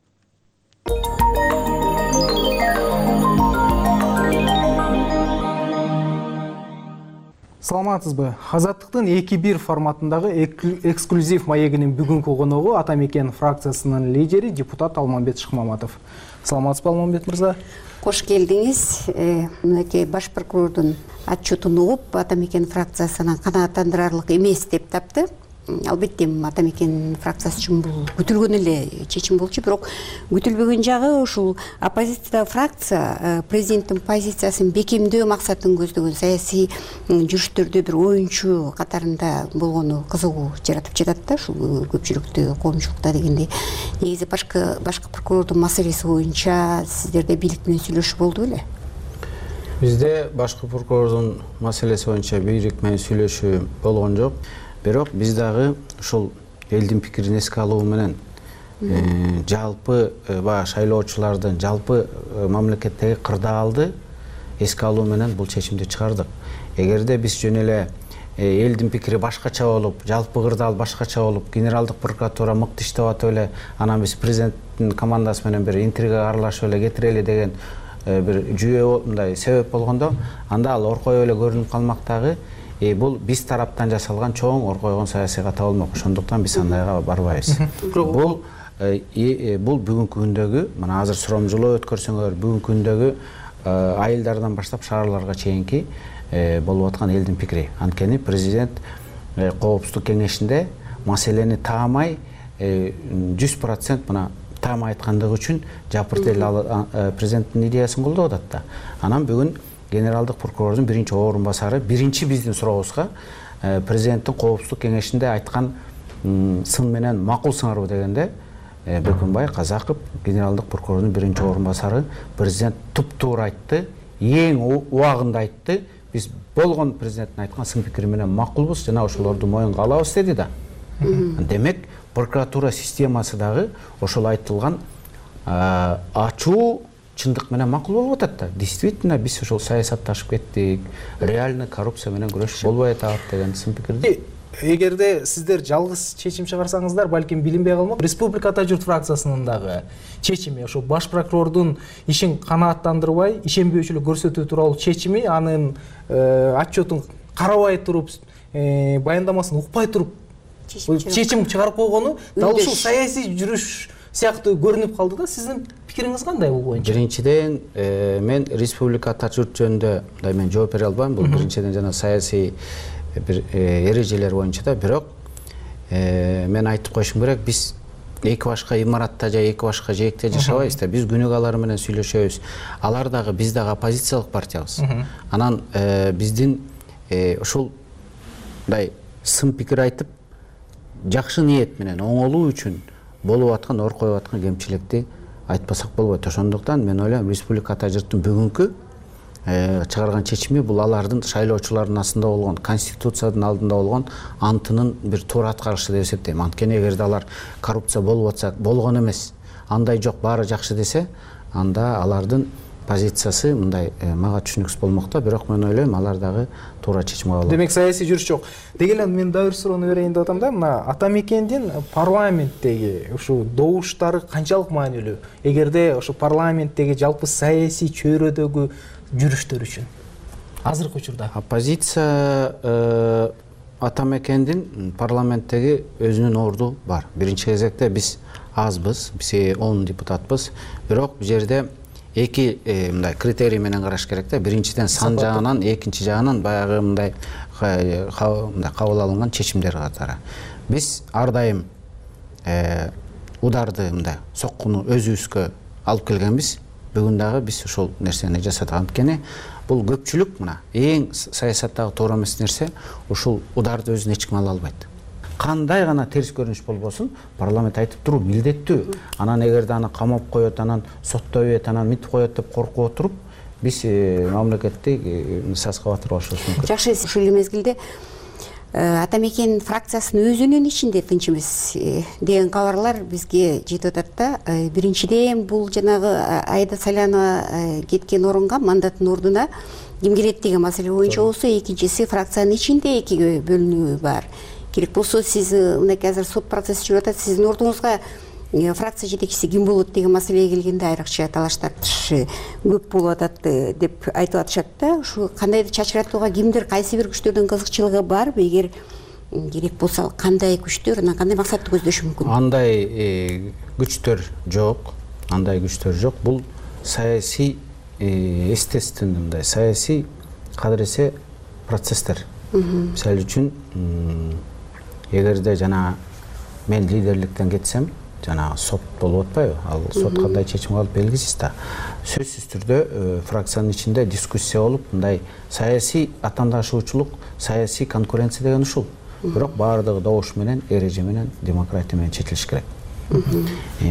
Саламатсызбы? Азаттыктын 2-1 форматындагы эксклюзив маегинин бүгүнкү коногу Ата Мекен фракциясынын лидери депутат Алмамбет Шыкмаматов. Саламатсызбы, Алмамбет мырза? Кош келдиңиз. Мынакей баш прокурордун отчетун угуп, Ата Мекен фракциясына канааттандырарлык эмес деп тапты. Албетте Ата Мекен фракциясы үчүн бул күтүлгөн эле чечим болчу, бирок күтүлбөгөн жагы ушул оппозициядагы фракция президенттин позициясын бекемдөө максатын көздөгөн саясий жүрүштөрдө бир оюнчу катарында болгону кызыгуу жаратып жатат да, ушул көпчүлүктө, коомчулукта дегендей. Негизи башкы прокурордун маселеси боюнча сиздерде бийлик менен сүйлөшүү болду беле? Бизде башкы прокурордун маселеси боюнча бийлик менен сүйлөшүү болгон жок. Бирок биз дагы ушул элдин пикирин эске алуу менен жалпы баягы шайлоочулардын жалпы мамлекеттеги кырдаалды эске алуу менен бул чечимди чыгардык. Эгерде биз жөн эле элдин пикири башкача болуп, жалпы кырдаал башкача болуп, генералдык прокуратура мыкты иштеп атып эле, анан биз президенттин командасы менен бир интригага аралашып эле кетирели деген бир жүйө мындай себеп болгондо, анда ал оркоюп эле көрүнүп калмак дагы. Бул биз тараптан жасалган чоң оркойгон саясий ката болмок. Ошондуктан биз андайга барбайбыз. Бул бүгүнкү күндөгү, мына азыр сурамжылоо өткөрсөңөр, бүгүнкү күндөгү айылдардан баштап шаарларга чейинки болуп аткан элдин пикири. Анткени президент Коопсуздук кеңешинде маселени таамай 100% мына таамай айткандыгы үчүн жапырт эл президенттин идеясын колдоп атат да. Анан бүгүн генералдык прокурордун биринчи орун басары биринчи биздин сурообузга президенттин Коопсуздук кеңешинде айткан сын менен макул сыңарбы дегенде Бекунбай Казаков, генералдык прокурордун биринчи орун басары, президент туп-туура айтты, эң убагында айтты. Биз болгон президенттин айткан сын пикири менен макулбуз жана ошолорду моюнга алабыз деди да. Демек прокуратура системасы дагы ошол айтылган ачуу чындык менен макул болуп атат да. Действительно биз ошол саясатташып кеттик, реальный коррупция менен күрөш болбой атат деген сын пикирди. Эгерде сиздер жалгыз чечим чыгарсаңыздар, балким билинбей калмак. Республика Ата журт фракциясынын дагы чечими, ошо баш прокурордун ишин канааттандырбай, ишенбөөчүлүк көрсөтүү тууралуу чечими, анын отчетун карабай туруп, баяндамасын укпай туруп чечим чыгарып койгону дал ушул саясий жүрүш сыяктуу көрүнүп калды да. Сиздин пикириңиз кандай бул боюнча? Биринчиден, мен Республика Ата журт жөнүндө мен жооп бере албайм. Бул биринчиден жана саясий бир эрежелер боюнча да. Бирок мен айтып коюшум керек, биз эки башка имаратта же эки башка жээкте жашабайбыз да. Биз күнүгө алар менен сүйлөшөбүз. Алар дагы биз дагы оппозициялык партиябыз. Анан биздин ушулдай сын пикир айтып, жакшы ниет менен оңолуу үчүн болуп аткан, оркоюп аткан кемчиликти айтпасак болбойт. Ошондуктан мен ойлойм, Республика Ата журттун бүгүнкү чыгарган чечими бул алардын шайлоочулардын астында болгон, конституциянын алдында болгон антынын бир туура аткарышы деп эсептейм. Анткени эгерде алар коррупция болуп атса, болгон эмес, андай жок, баары жакшы десе, анда алардын позициясы мындай мага түшүнүксүз болмок да. Бирок мен ойлойм, алар дагы туура чечим кабыл алат. Демек саясий жүрүш жок. Деги эле мен дагы бир суроону берейин деп атам да. Мына Ата Мекендин парламенттеги ушул добуштары канчалык маанилүү? Эгерде ошо парламенттеги жалпы саясий чөйрөдөгү жүрүштөр үчүн азыркы учурда оппозиция Ата Мекендин парламенттеги өзүнүн орду бар. Биринчи кезекте биз азбыз, биз 10 депутатпыз. Бирок бул жерде эки мындай критерий менен караш керек да. Биринчиден сан жагынан, экинчи жагынан баягы мындай кабыл алынган чечимдер катары. Биз ар дайым ударды мындай соккуну өзүбүзгө алып келгенбиз. бүгүн дагы биз ошол нерсени жасадык. Анткени бул көпчүлүк мына эң саясаттагы туура эмес нерсе ушул ударды өзүнө эч ким ала албайт. Кандай гана терс көрүнүш болбосун парламент айтып туруу милдеттүү. Анан эгерде аны камап коет, анан соттобойт, анан мынтип коет деп коркуп отуруп биз мамлекетти саска батырбашыбыз мүмкүн. Жакшы, ушул мезгилде ата мекен фракциясынын өзүнүн ичинде тынч эмес деген кабарлар бизге жетип атат да. Биринчиден бул жанагы Айда Салянова кеткен орунга, мандаттын ордуна ким келет деген маселе боюнча болсо, экинчиси фракциянын ичинде экиге бөлүнүү бар. Керек болсо сиз мынакей азыр сот процесси жүрүп атат, сиздин ордуңузга фракция жетекчиси ким болот деген маселеге келгенде айрыкча талаш тартыш көп болуп атат деп айтып атышат да. Ушу кандайдыр чачыратууга кимдир кайсы бир күчтөрдүн кызыкчылыгы барбы? Эгер керек болсо кандай күчтөр, анан кандай максатты көздөшү мүмкүн? Андай күчтөр жок, андай күчтөр жок. Бул саясий естественный, мындай саясий кадыресе процесстер. Мисалы үчүн эгерде жана мен лидерликтен кетсем, жана сот болуп атпайбы? Ал сот кандай чечим кылып белгисиз да. Сөзсүз түрдө фракциянын ичинде дискуссия болуп, мындай саясий атаандашуучулук, саясий конкуренция деген ушул. Бирок баардыгы добуш менен, эреже менен, демократия менен чечилиш керек.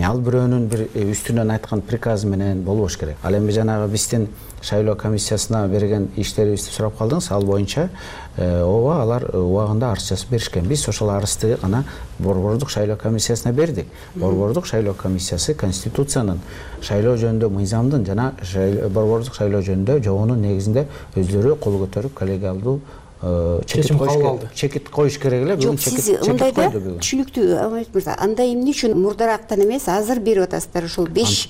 Ал бирөөнүн бир үстүнөн айткан приказы менен болбош керек. Ал эми жанагы биздин шайлоо комиссиясына берген иштерибизди сурап калдыңыз. Ал боюнча ооба алар убагында арыз жазып беришкен. Биз ошол арызды гана Борбордук шайлоо комиссиясына бердик. Борбордук шайлоо комиссиясы Конституциянын, шайлоо жөнүндө мыйзамдын жана Борбордук шайлоо жөнүндө жобонун негизинде өздөрү кол көтөрүп коллегиалдуу чекит коюш керек эле. Жок, сиз мындайда түшүнүктүү Алмамет мырза, андай эмне үчүн мурдарактан эмес, азыр берип атасыздар ушул 5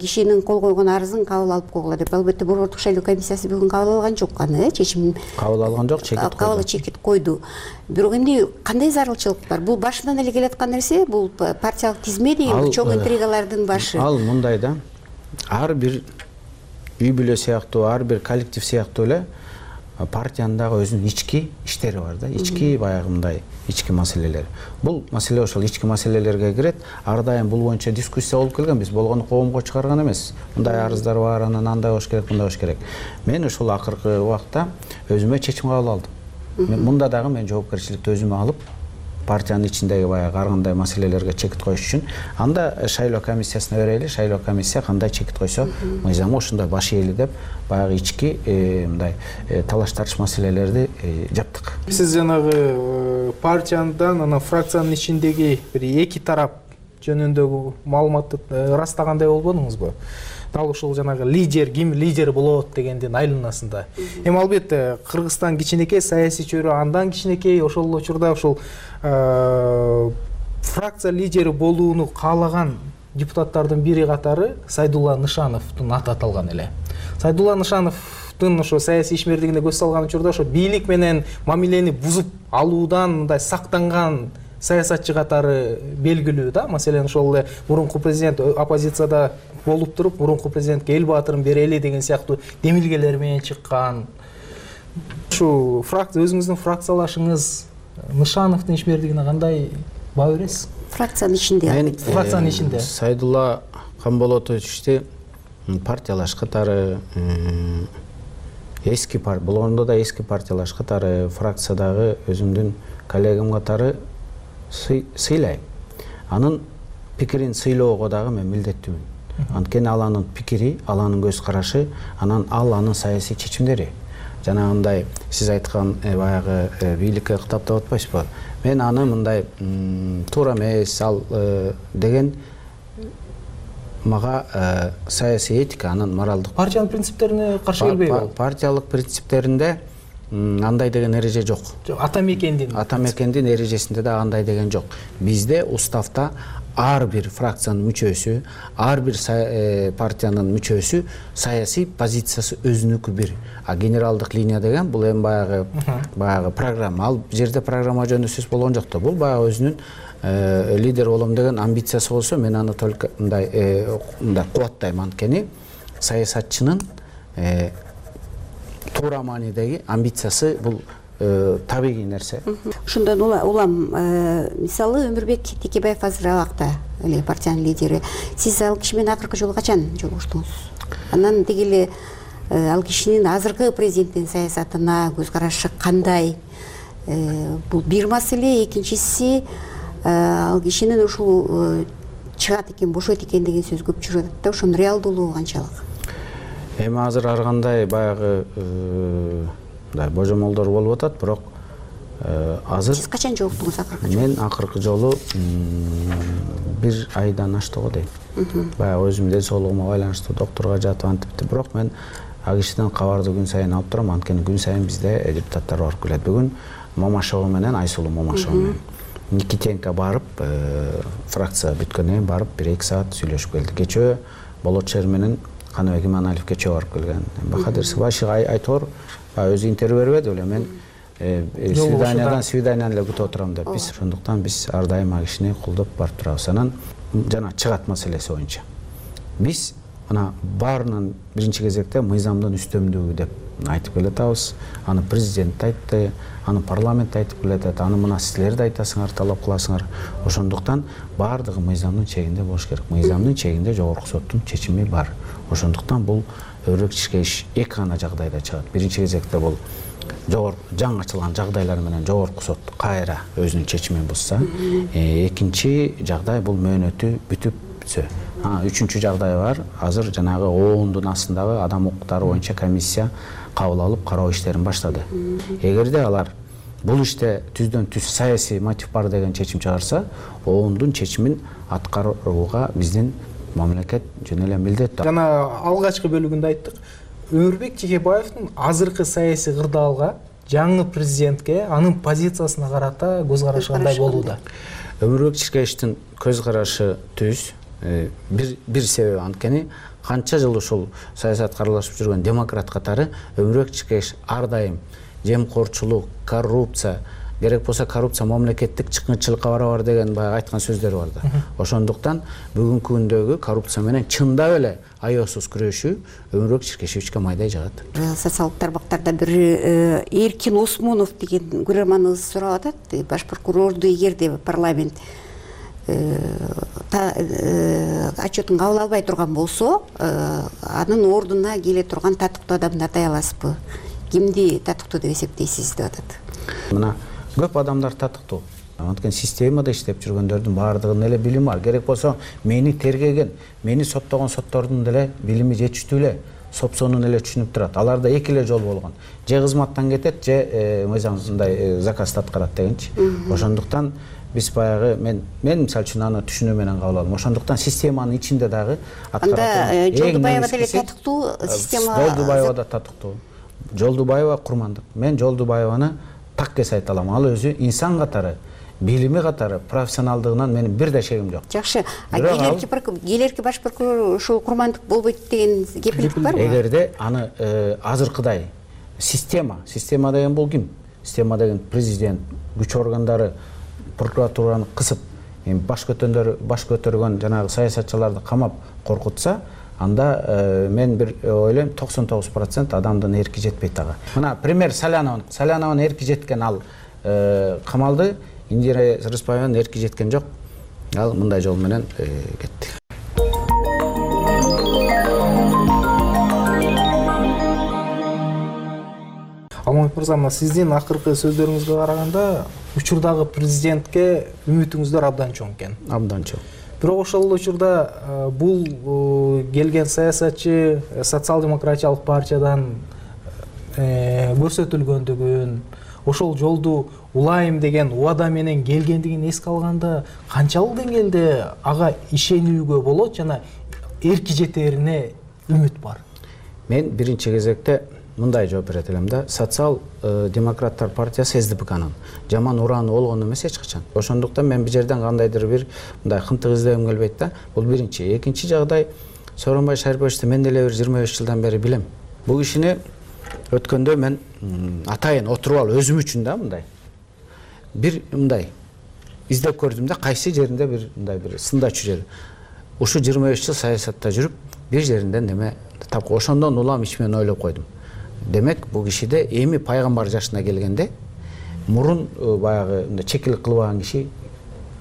кишинин кол койгон арызын кабыл алып койгула деп. Албетте Борбордук шайлоо комиссиясы бүгүн кабыл алган жок аны, чечим кабыл алган жок, чекит койду. Бирок эмне кандай зарылчылык бар? Бул башынан эле келаткан нерсе, бул партиялык тизме деген чоң интригалардын башы. Ал мындай да, ар бир үй бүлө сыяктуу, ар бир коллектив сыяктуу эле партиянын дагы өзүнүн ички иштери бар да, ички баягы мындай ички маселелер. Бул маселе ошол ички маселелерге кирет. Ар дайым бул боюнча дискуссия болуп келген. Биз болгону коомго чыгарган эмес. Мындай арыздар бар, анан андай болуш керек, мындай болуш керек. Мен ушул акыркы убакта өзүмө чечим кабыл алдым. Мында дагы мен жоопкерчиликти өзүмө алып, партиянын ичиндеги баягы ар кандай маселелерге чекит коюш үчүн анда шайлоо комиссиясына берели. Шайлоо комиссия кандай чекит койсо, мыйзамы ошондой баш ээли деп баягы ички мындай талаш тартыш маселелерди жаптык. Сиз жанагы партиядан анан фракциянын ичиндеги бир эки тарап жөнүндөгү маалыматты ырастагандай болбодуңузбу? Дал ушул жанагы лидер, ким лидер болот дегендин айланасында. Эми албетте Кыргызстан кичинекей, саясий чөйрө андан кичинекей, ошол учурда ушул фракция лидери болууну каалаган депутаттардын бири катары Сайдулла Нышановдун аты аталган эле. Сайдулла Нышановдун ошо саясий ишмердигине көз салган учурда ошо бийлик менен мамилени бузуп алуудан мындай сактанган саясатчы катары белгилүү да. Маселен ошол эле мурунку президент оппозицияда болуп туруп, мурунку президентке эл баатырын берели деген сыяктуу демилгелер менен чыккан. Ушу фракция, өзүңүздүн фракциялашыңыз Нышановдун ишмердигине кандай баа бересиз? Фракциянын ичинде. Фракциянын ичинде. Сайдулла Камболотовичти партиялаш катары, эски болгондо да эски партиялаш катары, фракциядагы өзүмдүн коллегам катары сыйлайм. Анын пикирин сыйлоого дагы мен милдеттүүмүн. Анткени ал анын пикири, ал анын көз карашы, анан ал анын саясий чечимдери. Жанагындай сиз айткан баягы бийликке кытап деп атпайсызбы? Мен аны мындай туура эмес ал деген мага саясий этика, анын моралдык партиянын принциптерине каршы келбейби? Партиялык принциптеринде андай деген эреже жок. Ата мекендин эрежесинде да андай деген жок. Бизде уставда ар бир фракциянын мүчөсү, ар бир партиянын мүчөсү саясий позициясы өзүнүкү бир. А генералдык линия деген бул эми баягы программа. Ал жерде программа жөнүндө сөз болгон жок да. Бул баягы өзүнүн лидер болом деген амбициясы болсо, мен аны только мындай кубаттайм. Анткени саясатчынын туура маанидеги амбициясы бул табигый нерсе. Ошондон улам мисалы Өмүрбек Текебаев азыр абакта эле партиянын лидери. Сиз ал киши менен акыркы жолу качан жолугуштуңуз? Анан деги эле ал кишинин азыркы президенттин саясатына көз карашы кандай? Бул бир маселе. Экинчиси, ал кишинин ушул чыгат экен, бошойт экен деген сөз көп жүрүп атат да, ошонун реалдуулугу канчалык? Эми азыр ар кандай баягы божомолдор болуп атат, бирок азыр Сиз качан жолуктуңуз акыркы жолу? Мен акыркы жолу 1 айдан ашты го дейм. Баягы өзүмдүн ден соолугума байланыштуу доктурга жатып антипти, бирок мен ал кишиден кабарды күн сайын алып турам, анткени күн сайын бизде депутаттар барып келет. Бүгүн Момашова менен, Айсулуу Момашова менен Никитенко барып, фракция бүткөндөн кийин барып 1-2 саат сүйлөшүп келди. Кечөө Болотчер менен Каныбек Иманалиев кечөө барып келген. Бахадыр Сыбашев айтор өзү интервью бербеди беле, мен свиданиядан эле күтүп отурам деп. Биз ошондуктан биз ар дайым ал кишини колдоп барып турабыз. Анан жана чыгат маселеси боюнча биз мына баарынан биринчи кезекте мыйзамдын үстөмдүгү деп айтып келатабыз. Аны президент айтты, аны парламент айтып келатат, аны мына силер да айтасыңар, талап кыласыңар. Ошондуктан баардыгы мыйзамдын чегинде болуш керек. Мыйзамдын чегинде жогорку соттун чечими бар. Ошондуктан бул өрөкчүкчө иш эки гана жагдайда чыгат. Биринчи кезекте бул жаңы ачылган жагдайлар менен жогорку сот кайра өзүнүн чечимин бузса, экинчи жагдай бул мөөнөтү бүтүпсө. Үчүнчү жагдай бар. Азыр жанагы оондун астындагы адам укуктары боюнча комиссия кабыл алып кароо иштерин баштады. Эгерде алар бул иште түздөн түз саясий мотив бар деген чечим чыгарса, оондун чечимин аткарууга биздин мамлекет жөн эле милдеттүү. Жана алгачкы бөлүгүндө айттык. Өмүрбек Чекебаевдин азыркы саясий кырдаалга жаңы президентке анын позициясына карата көз карашы кандай болууда? Өмүрбек Чекебаевдин көз карашы түз. Бир себеби анткени канча жыл ушул саясатка аралашып жүргөн демократ катары Өмүрбек Чекебаев ар дайым жемкорчулук, коррупция, керек болсо коррупция мамлекеттик чыккынчылыкка барабар деген баягы айткан сөздөрү бар да. Ошондуктан бүгүнкү күндөгү коррупция менен чындап эле аеосуз күрөшүү Өмүрбек Чекебаевке майдай жагат. Социалдык тармактарда бир Эркин Осмонов деген көрөрманыбыз сурап атат. Баш прокурорду эгерде парламент отчетун кабыл албай турган болсо, анын ордуна келе турган татыктуу адамды атай аласызбы? Кимди татыктуу деп эсептейсиз деп атат. Мына көп адамдар татыктуу. Анткени системада иштеп жүргөндөрдүн баардыгынын эле билими бар. Керек болсо мени тергеген, мени соттогон соттордун деле билими жетиштүү эле, сопсонун эле түшүнүп турат. Аларда эки эле жол болгон. Же кызматтан кетет, же мыйзамсындай заказды аткарат дегенчи. Ошондуктан биз баягы мен мисалы үчүн аны түшүнүү менен кабыл алдым. Ошондуктан системанын ичинде дагы аткарат. Анда Жолдубаева деле татыктуу система. Жолдубаева да татыктуу. Жолдубаева курмандык. Мен Жолдубаеваны так эс айта алам. Ал өзү инсан катары, билими катары, профессионалдыгынан менин бир да шегим жок. Жакшы. Келерки баш прокурор ушул курмандык болбойт деген кепилдик барбы? Эгерде аны азыркыдай система деген бул ким? Система деген президент, күч органдары прокуратураны кысып, баш көтөргөн жанагы саясатчыларды камап коркутса, анда мен бир ойлойм 99% адамдын эрки жетпейт ага. Мына пример Саляновдун эрки жеткен, ал камалды. Индира Рыспаеванын эрки жеткен жок. Ал мындай жол менен кетти. Алмамбет мырза, сиздин акыркы сөздөрүңүзгө караганда учурдагы президентке үмүтүңүздөр абдан чоң экен. Абдан чоң. Бирок ошол учурда бул келген саясатчы социал-демократиялык партиядан көрсөтүлгөндүгүн, ошол жолду улайым деген убада менен келгендигин эске алганда канчалык деңгээлде ага ишенүүгө болот жана эрки жетерине үмүт бар? Мен биринчи кезекте мындай жооп берет элем да. Социал-демократтар партиясы СДПКнын жаман ураны болгон эмес эч качан. Ошондуктан мен бир жерден кандайдыр бир мындай кынтык издегим келбейт да. Бул биринчи. Экинчи жагдай, Сооронбай Шариповичти мен деле бир 25 жылдан бери билем. Бул кишини өткөндө мен атайын отуруп алып өзүм үчүн да бир мындай издеп көрдүм да, кайсы жеринде бир мындай бир сындачу жер. Ушу 25 жыл саясатта жүрүп, бир жеринден неме тапкы. Ошондон улам ичимен ойлоп койдум. Демек, бул кишиде эми пайгамбар жашына келгенде мурун баягы чекилик кылбаган киши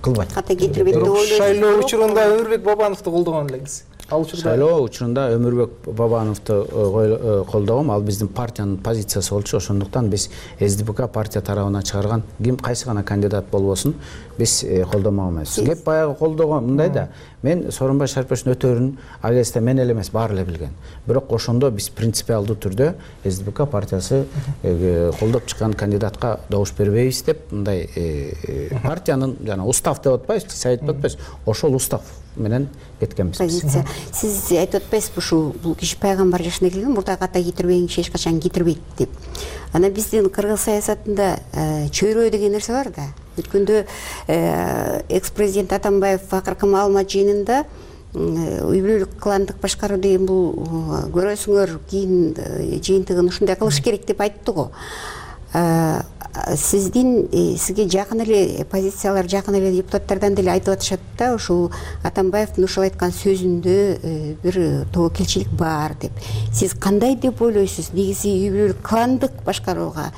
кылбайт. Ката кетирбейт деп ойлойсуз. Шайлоо учурунда Өмүрбек Бабановду колдогон элеңиз. шайлоо учурунда Өмүрбек Бабановду колдогом. Ал биздин партиянын позициясы болчу. Ошондуктан биз СДПК партия тарабынан чыгарган кайсы гана кандидат болбосун биз колдомок эмес. Кеп баягы колдогон мындай да. Мен Сооронбай Шариповичтин өтөрүн ал кезде мен эле эмес, баары эле билген. Бирок ошондо биз принципиалдуу түрдө СДПК партиясы колдоп чыккан кандидатка добуш бербейбиз деп мындай партиянын жана устав деп атпайбызбы, сайт деп атпайбыз. Ошол устав менен кеткенбиз. Позиция. Сиз айтып атпайсызбы ушул бул киши пайгамбар жашына келген, мурда ката кетирбеген киши эч качан кетирбейт деп. Ана биздин кыргыз саясатында чөйрөө деген нерсе бар да. Өткөндө экс-президент Атамбаев акыркы маалымат жыйынында үй бүлөлүк кландык башкаруу деген бул көрөсүңөр кийин жыйынтыгын ушундай кылыш керек деп айтты го. Сизге жакын эле позициялар, жакын эле депутаттардан деле айтып атышат да, ушул Атамбаевдин ушул айткан сөзүндө бир тобокелчилик бар деп. Сиз кандай деп ойлойсуз? Негизи үй бүлөлүк кландык башкарууга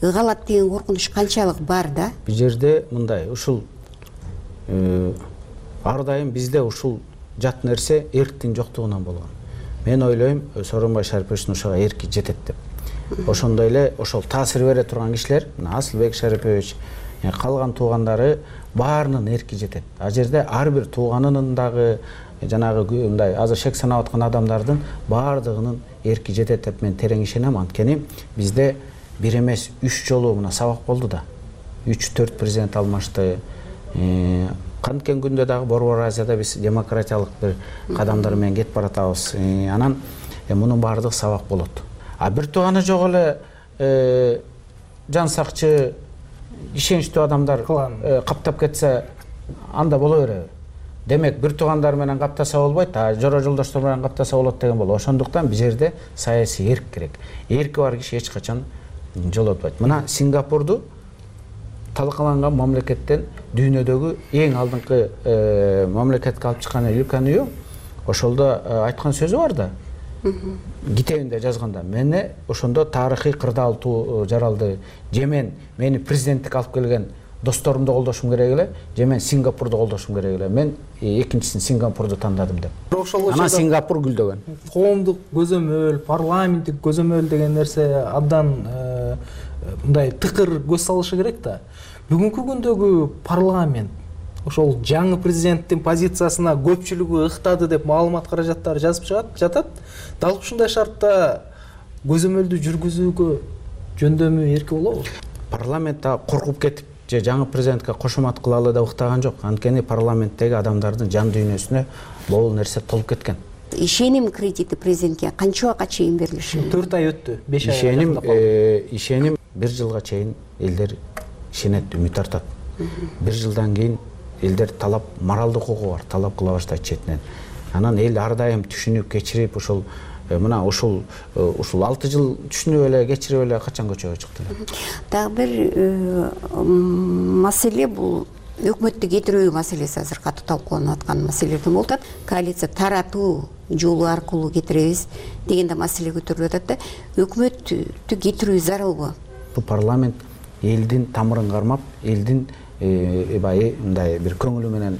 ыгалат деген коркунуч канчалык бар да? Бул жерде мындай, ушул ар дайым бизде ушул жат нерсе эрктин жоктугунан болгон. Мен ойлойм, Сооронбай Шариповичтин ушуга эрки жетет деп. Ошондой эле ошол таасир бере турган кишилер, Асылбек Шарипович, калган туугандары баарынын эрки жетет. А жерде ар бир тууганынын дагы жанагы мындай азыр шек санап аткан адамдардын баардыгынын эрки жетет деп мен терең ишенем. Анткени бизде бир эмес 3 жолу мына сабак болду да. 3-4 президент алмашты. Канткен күндө дагы Борбор Азияда биз демократиялык бир кадамдар менен кетип баратабыз. Анан мунун баардыгы сабак болот. А бир тууганы жок эле жан сакчы ишеничтүү адамдар каптап кетсе анда боло береби. Демек бир туугандар менен каптаса болбойт, а жора жолдоштор менен каптаса болот деген болот. Ошондуктан бул жерде саясий эрк керек. Эрки бар киши эч качан жолотпойт. Мына Сингапурду талкаланган мамлекеттен дүйнөдөгү эң алдыңкы мамлекетке алып чыккан Люканью ошолдо айткан сөзү бар да. Китебинде жазганда мени ошондо тарыхый кырдаал жаралды. Же мени президенттик алып келген досторумду колдошум керек эле, же мен Сингапурду колдошум керек эле. Мен экинчисин Сингапурду тандадым деп. Анан Сингапур гүлдөгөн. Коомдук көзөмөл, парламенттик көзөмөл деген нерсе абдан мындай тыкыр көз салышы керек да. Бүгүнкү күндөгү парламент ошол жаңы президенттин позициясына көпчүлүгү ыктады деп маалымат каражаттары жазып жатат. Дал ушундай шартта көзөмөлдү жүргүзүүгө жөндөмү эрки болобу? Парламент коркуп кетип же жаңы президентке кошумат кылалы деп ыктаган жок. Анткени парламенттеги адамдардын жан дүйнөсүнө могул нерсе толуп кеткен. Ишеним кредити президентке канча убакка чейин берилиши? 4 ай өттү, 5 ай. Ишеним 1 жылга чейин элдер ишенет, үмүт артат. 1 жылдан кийин элдер талап, моралдык укугу бар, талап кыла баштайт четинен. Анан эл ар дайым түшүнүп кечирип ушул мына ушул 6 жыл түшүнүп эле кечирип эле качан көчөгө чыкты. Дагы бир маселе бул өкмөттү кетирүү маселеси азыр катуу талкууланып аткан маселелерден болуп атат. Коалиция таратуу жолу аркылуу кетиребиз деген да маселе көтөрүлүп атат да. Өкмөттү кетирүү зарылбы? Бул парламент элдин тамырын кармап, элдин мындай бир көңүлү менен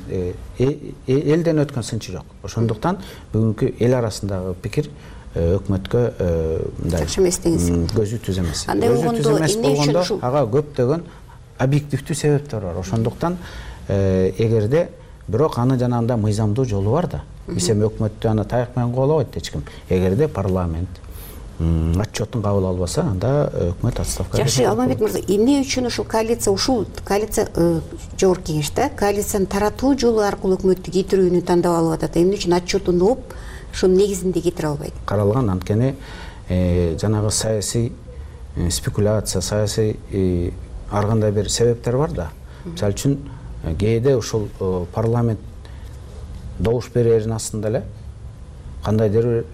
элден өткөн сынчы жок. Ошондуктан бүгүнкү эл арасындагы пикир өкмөткө мындай көзү түз эмес. Андай болгондо ага көптөгөн объективдүү себептер бар. Ошондуктан эгерде бирок аны жанагындай мыйзамдуу жолу бар да. Биз эми өкмөттү аны таяк менен кубалабайт эч ким. Эгерде парламент отчетун кабыл албаса, анда өкмөт отставкага кетет. Жакшы, Алмамбет мырза, эмне үчүн ушул коалиция жогорку кеңеште коалицияны таратуу жолу аркылуу өкмөттү кетирүүнү тандап алып атат? Эмне үчүн отчетун угуп, ушунун негизинде кетире албайт? Каралган, анткени жанагы саясий спекуляция, саясий ар кандай бир себептер бар да. Мисалы үчүн кээде ушул парламент добуш берерин астында эле кандайдыр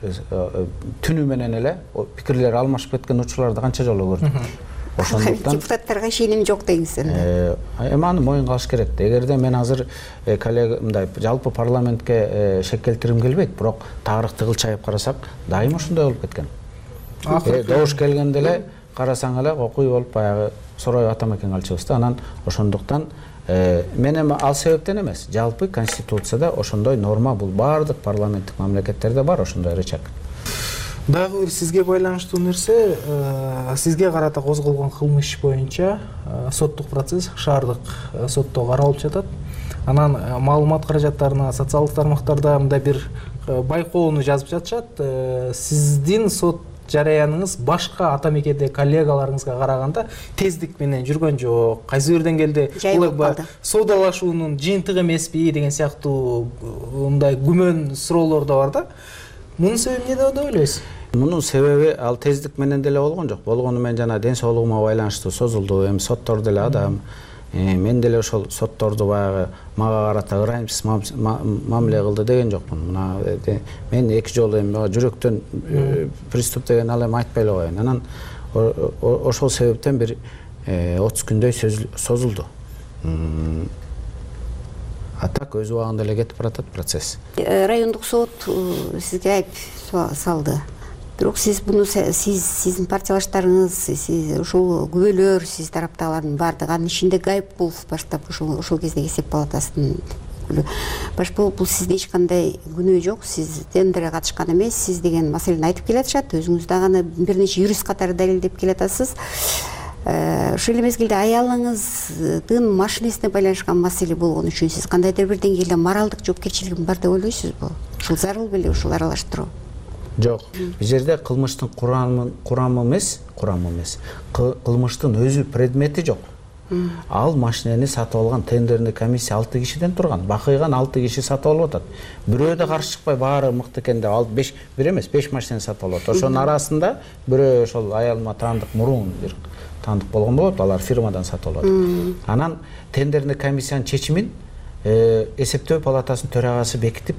түнү менен эле пикирлер алмашып кеткен учурларды канча жолу көрдүк. Ошондуктан депутаттарга ишеним жок дегенсиз. Эми аны моюнга алыш керек да. Эгерде мен азыр коллега мындай жалпы парламентке шек келтиргим келбейт, бирок тарыхты кылчайып карасак, дайыма ошондой болуп кеткен. Добуш келгенде эле карасаң эле окуй болуп баягы сороюп атамекен калчубыз да. Анан ошондуктан мен эми ал себептен эмес, жалпы конституцияда ошондой норма, бул баардык парламенттик мамлекеттерде бар ошондой рычаг. Дагы бир сизге байланыштуу нерсе, сизге карата козголгон кылмыш боюнча соттук процесс шаардык сотто каралып жатат. Анан маалымат каражаттарына социалдык тармактарда мындай бир байкоону жазып жатышат. Сиздин сот жараяныңыз башка ата мекенде коллегаларыңызга караганда тездик менен жүргөн жок. Кайсы бир деңгээлде соодалашуунун жыйынтыгы эмеспи деген сыяктуу мындай күмөн суроолор да бар да. Мунун себеби эмнеде деп ойлойсуз? Мунун себеби ал тездик менен деле болгон жок. Болгону мен жана ден соолугума байланыштуу созулду. Эми соттор деле адам. Мен деле ошол сотторду баягы мага карата ырайымсыз мамиле кылды деген жокмун. Мына мен 2 жолу эми жүрөктөн приступ деген ал эми айтпай эле коеюн. Анан ошол себептен бир 30 күндөй созулду. А так өз убагында эле кетип баратат процесс. Райондук сот сизге айып салды. Бирок сиз буну сиздин партиялаштарыңыз, сиз ушул күбөлөр, сиз тараптагылардын баардыгы, анын ичинде Гайыпкулов баштап ошол кездеги эсеп палатасынын башбол, бул сизде эч кандай күнөө жок, сиз тендерге катышкан эмес, сиз деген маселени айтып келатышат. Өзүңүз дагы аны бир нече юрист катары далилдеп келатасыз. Ошол эле мезгилде аялыңыздын машинесине байланышкан маселе болгон үчүн сиз кандайдыр бир деңгээлде моралдык жоопкерчилигин бар деп ойлойсузбу? Ушул зарыл беле ушул аралаштыруу? Жок. Бул жерде кылмыштын курамы эмес, кылмыштын өзү предмети жок. Ал машинени сатып алган тендерный комиссия 6 кишиден турган. Бакыйган 6 киши сатып алып атат. Бирөө да каршы чыкпай баары мыкты экен деп алып 5 машинени сатып алып атат. Ошонун арасында бирөө ошол аялыма таандык мурун бир таандык болгон болот, алар фирмадан сатып алып атат. Анан тендерный комиссиянын чечимин эсептөө палатасынын төрагасы бекитип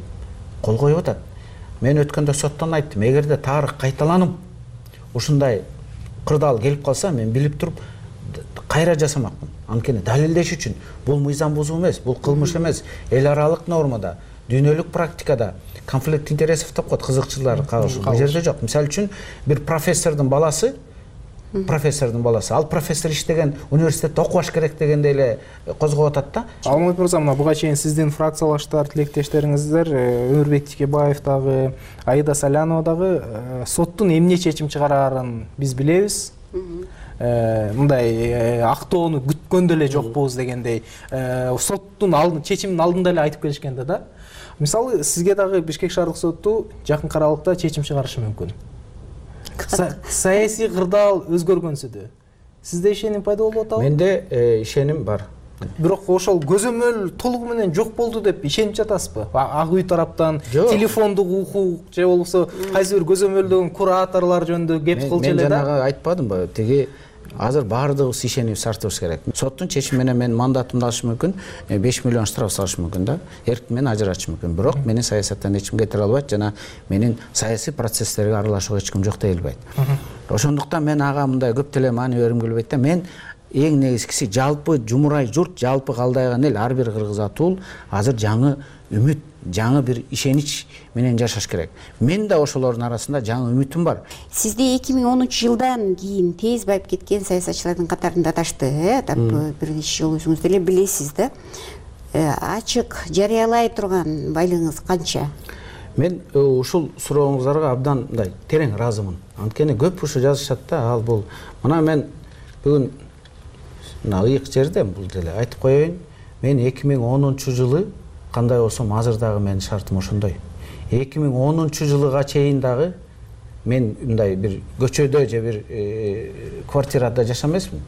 кол коюп атат. Мен өткөндө соттон айттым, эгерде тарых кайталанып ушундай кырдаал келип калса, мен билип туруп кайра жасамакмын. Анткени далилдеш үчүн бул мыйзам бузуу эмес, бул кылмыш эмес. Эл аралык нормада, дүйнөлүк практикада конфликт интересов деп коет, кызыкчылар кагышы. Бул жерде жок. Мисалы үчүн бир профессордун баласы, ал профессор иштеген университетте окубаш керек дегендей эле козгоп атат да. Алмат мырза, мына буга чейин сиздин фракциялаштар, тилектештериңиздер Өмүрбек Тикебаев дагы, Аида Салянова дагы соттун эмне чечим чыгарарын биз билебиз. Мындай актоону күткөн деле жокпуз дегендей соттун чечиминин алдында эле айтып келишкен да. Мисалы, сизге дагы Бишкек шаардык соту жакын аралыкта чечим чыгарышы мүмкүн. Саясий кырдаал өзгөргөнсүдө сизде ишеним пайда болуп атабы? Менде ишеним бар. Бирок ошол көзөмөл толугу менен жок болду деп ишенип жатасызбы? Ак үй тараптан телефондук укук же болбосо кайсы бир көзөмөлдөгөн кураторлор жөнүндө кеп кылчу эле да? Мен жанагы айтпадымбы? Тиги азыр баардыгыбыз ишенип сартыбыз керек. Соттун чечими менен мен мандатымды алыш мүмкүн, 5 миллион штраф салыш мүмкүн да. Эркин менен ажыратыш мүмкүн. Бирок менин саясаттан эч ким кетире албайт жана менин саясий процесстерге аралашууга эч ким жок дей албайт. Ошондуктан мен ага мындай көп деле маани бергим келбейт да. Мен эң негизгиси жалпы жумурай журт, жалпы калдайган эл, ар бир кыргыз атуул азыр жаңы үмүт, жаңы бир ишенич менен жашаш керек. Мен да ошолордун арасында жаңы үмүтүм бар. Сизде 2013-жылдан кийин тез байып кеткен саясатчылардын катарында адашты, бир нече жол өзүңүз деле билесиз да. Ачык жарыялай турган байлыгыңыз канча? Мен ушул сурооңуздарга абдан мындай терең ыраазымын. Анткени көп ушу жазышат да, ал бул. Мына мен бүгүн мына ыйык жерде бул деле айтып коеюн. Мен 2010-жылы кандай болсом азыр дагы менин шартым ошондой. 2010-жылыга чейин дагы мен мындай бир көчөдө же бир квартирада жашамайсмын.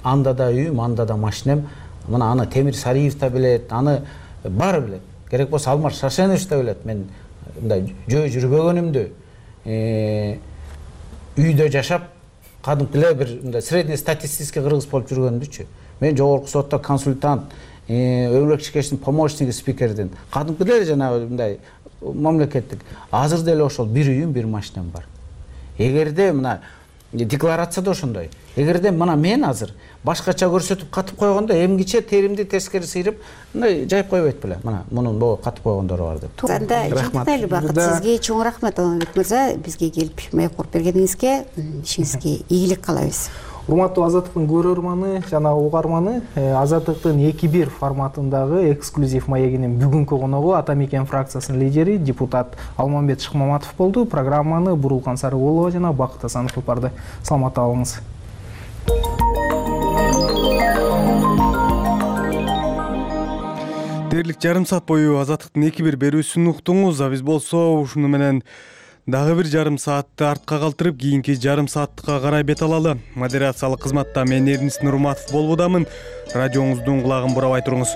Анда да үйүм, анда да машинем. Мына аны Темир Сариев да билет, аны баары билет. Керек болсо Алмар Шашенович да билет. Мен мындай жөө жүрбөгөнүмдү, үйдө жашап, кадимки эле бир мындай среднестатистический кыргыз болуп жүргөнүмдүчү. Мен жогорку сотто консультант, Өмүрбек Шикештин помощниги спикердин, кадимки эле жанагы мындай мамлекеттик. Азыр деле ошол бир үйүм, бир машинем бар. Эгерде мына декларация да ошондой. Эгерде мына мен азыр башкача көрсөтүп катып койгондо эмгиче теримди тескери сыйрып мындай жайып койбойт беле. Мына мунун могу катып койгондору бар деп. Анда жыйынтайлы бакыт сизге чоң рахмат Алмамбет мырза, бизге келип маек куруп бергениңизге, ишиңизге ийгилик каалайбыз. Урматтуу Азаттыктын көрөрманы жана угарманы, Азаттыктын 2-1 форматындагы эксклюзив маегинин бүгүнкү коногу Атамекен фракциясынын лидери депутат Алмамбет Шыкмаматов болду. Программаны Бурулкан Сарыгулова жана Бакыт Асанов алып барды. Саламатта болуңуз. Дээрлик жарым саат бою Азаттыктын 2-1 берүүсүн уктуңуз. Биз болсо ушуну менен дагы бир жарым саатты артка калтырып, кийинки жарым сааттыкка карай бет алалы. Модерациялык кызматта мен Эрнис Нурматов болбудамын. Радиоңуздун кулагын бурабай туруңуз.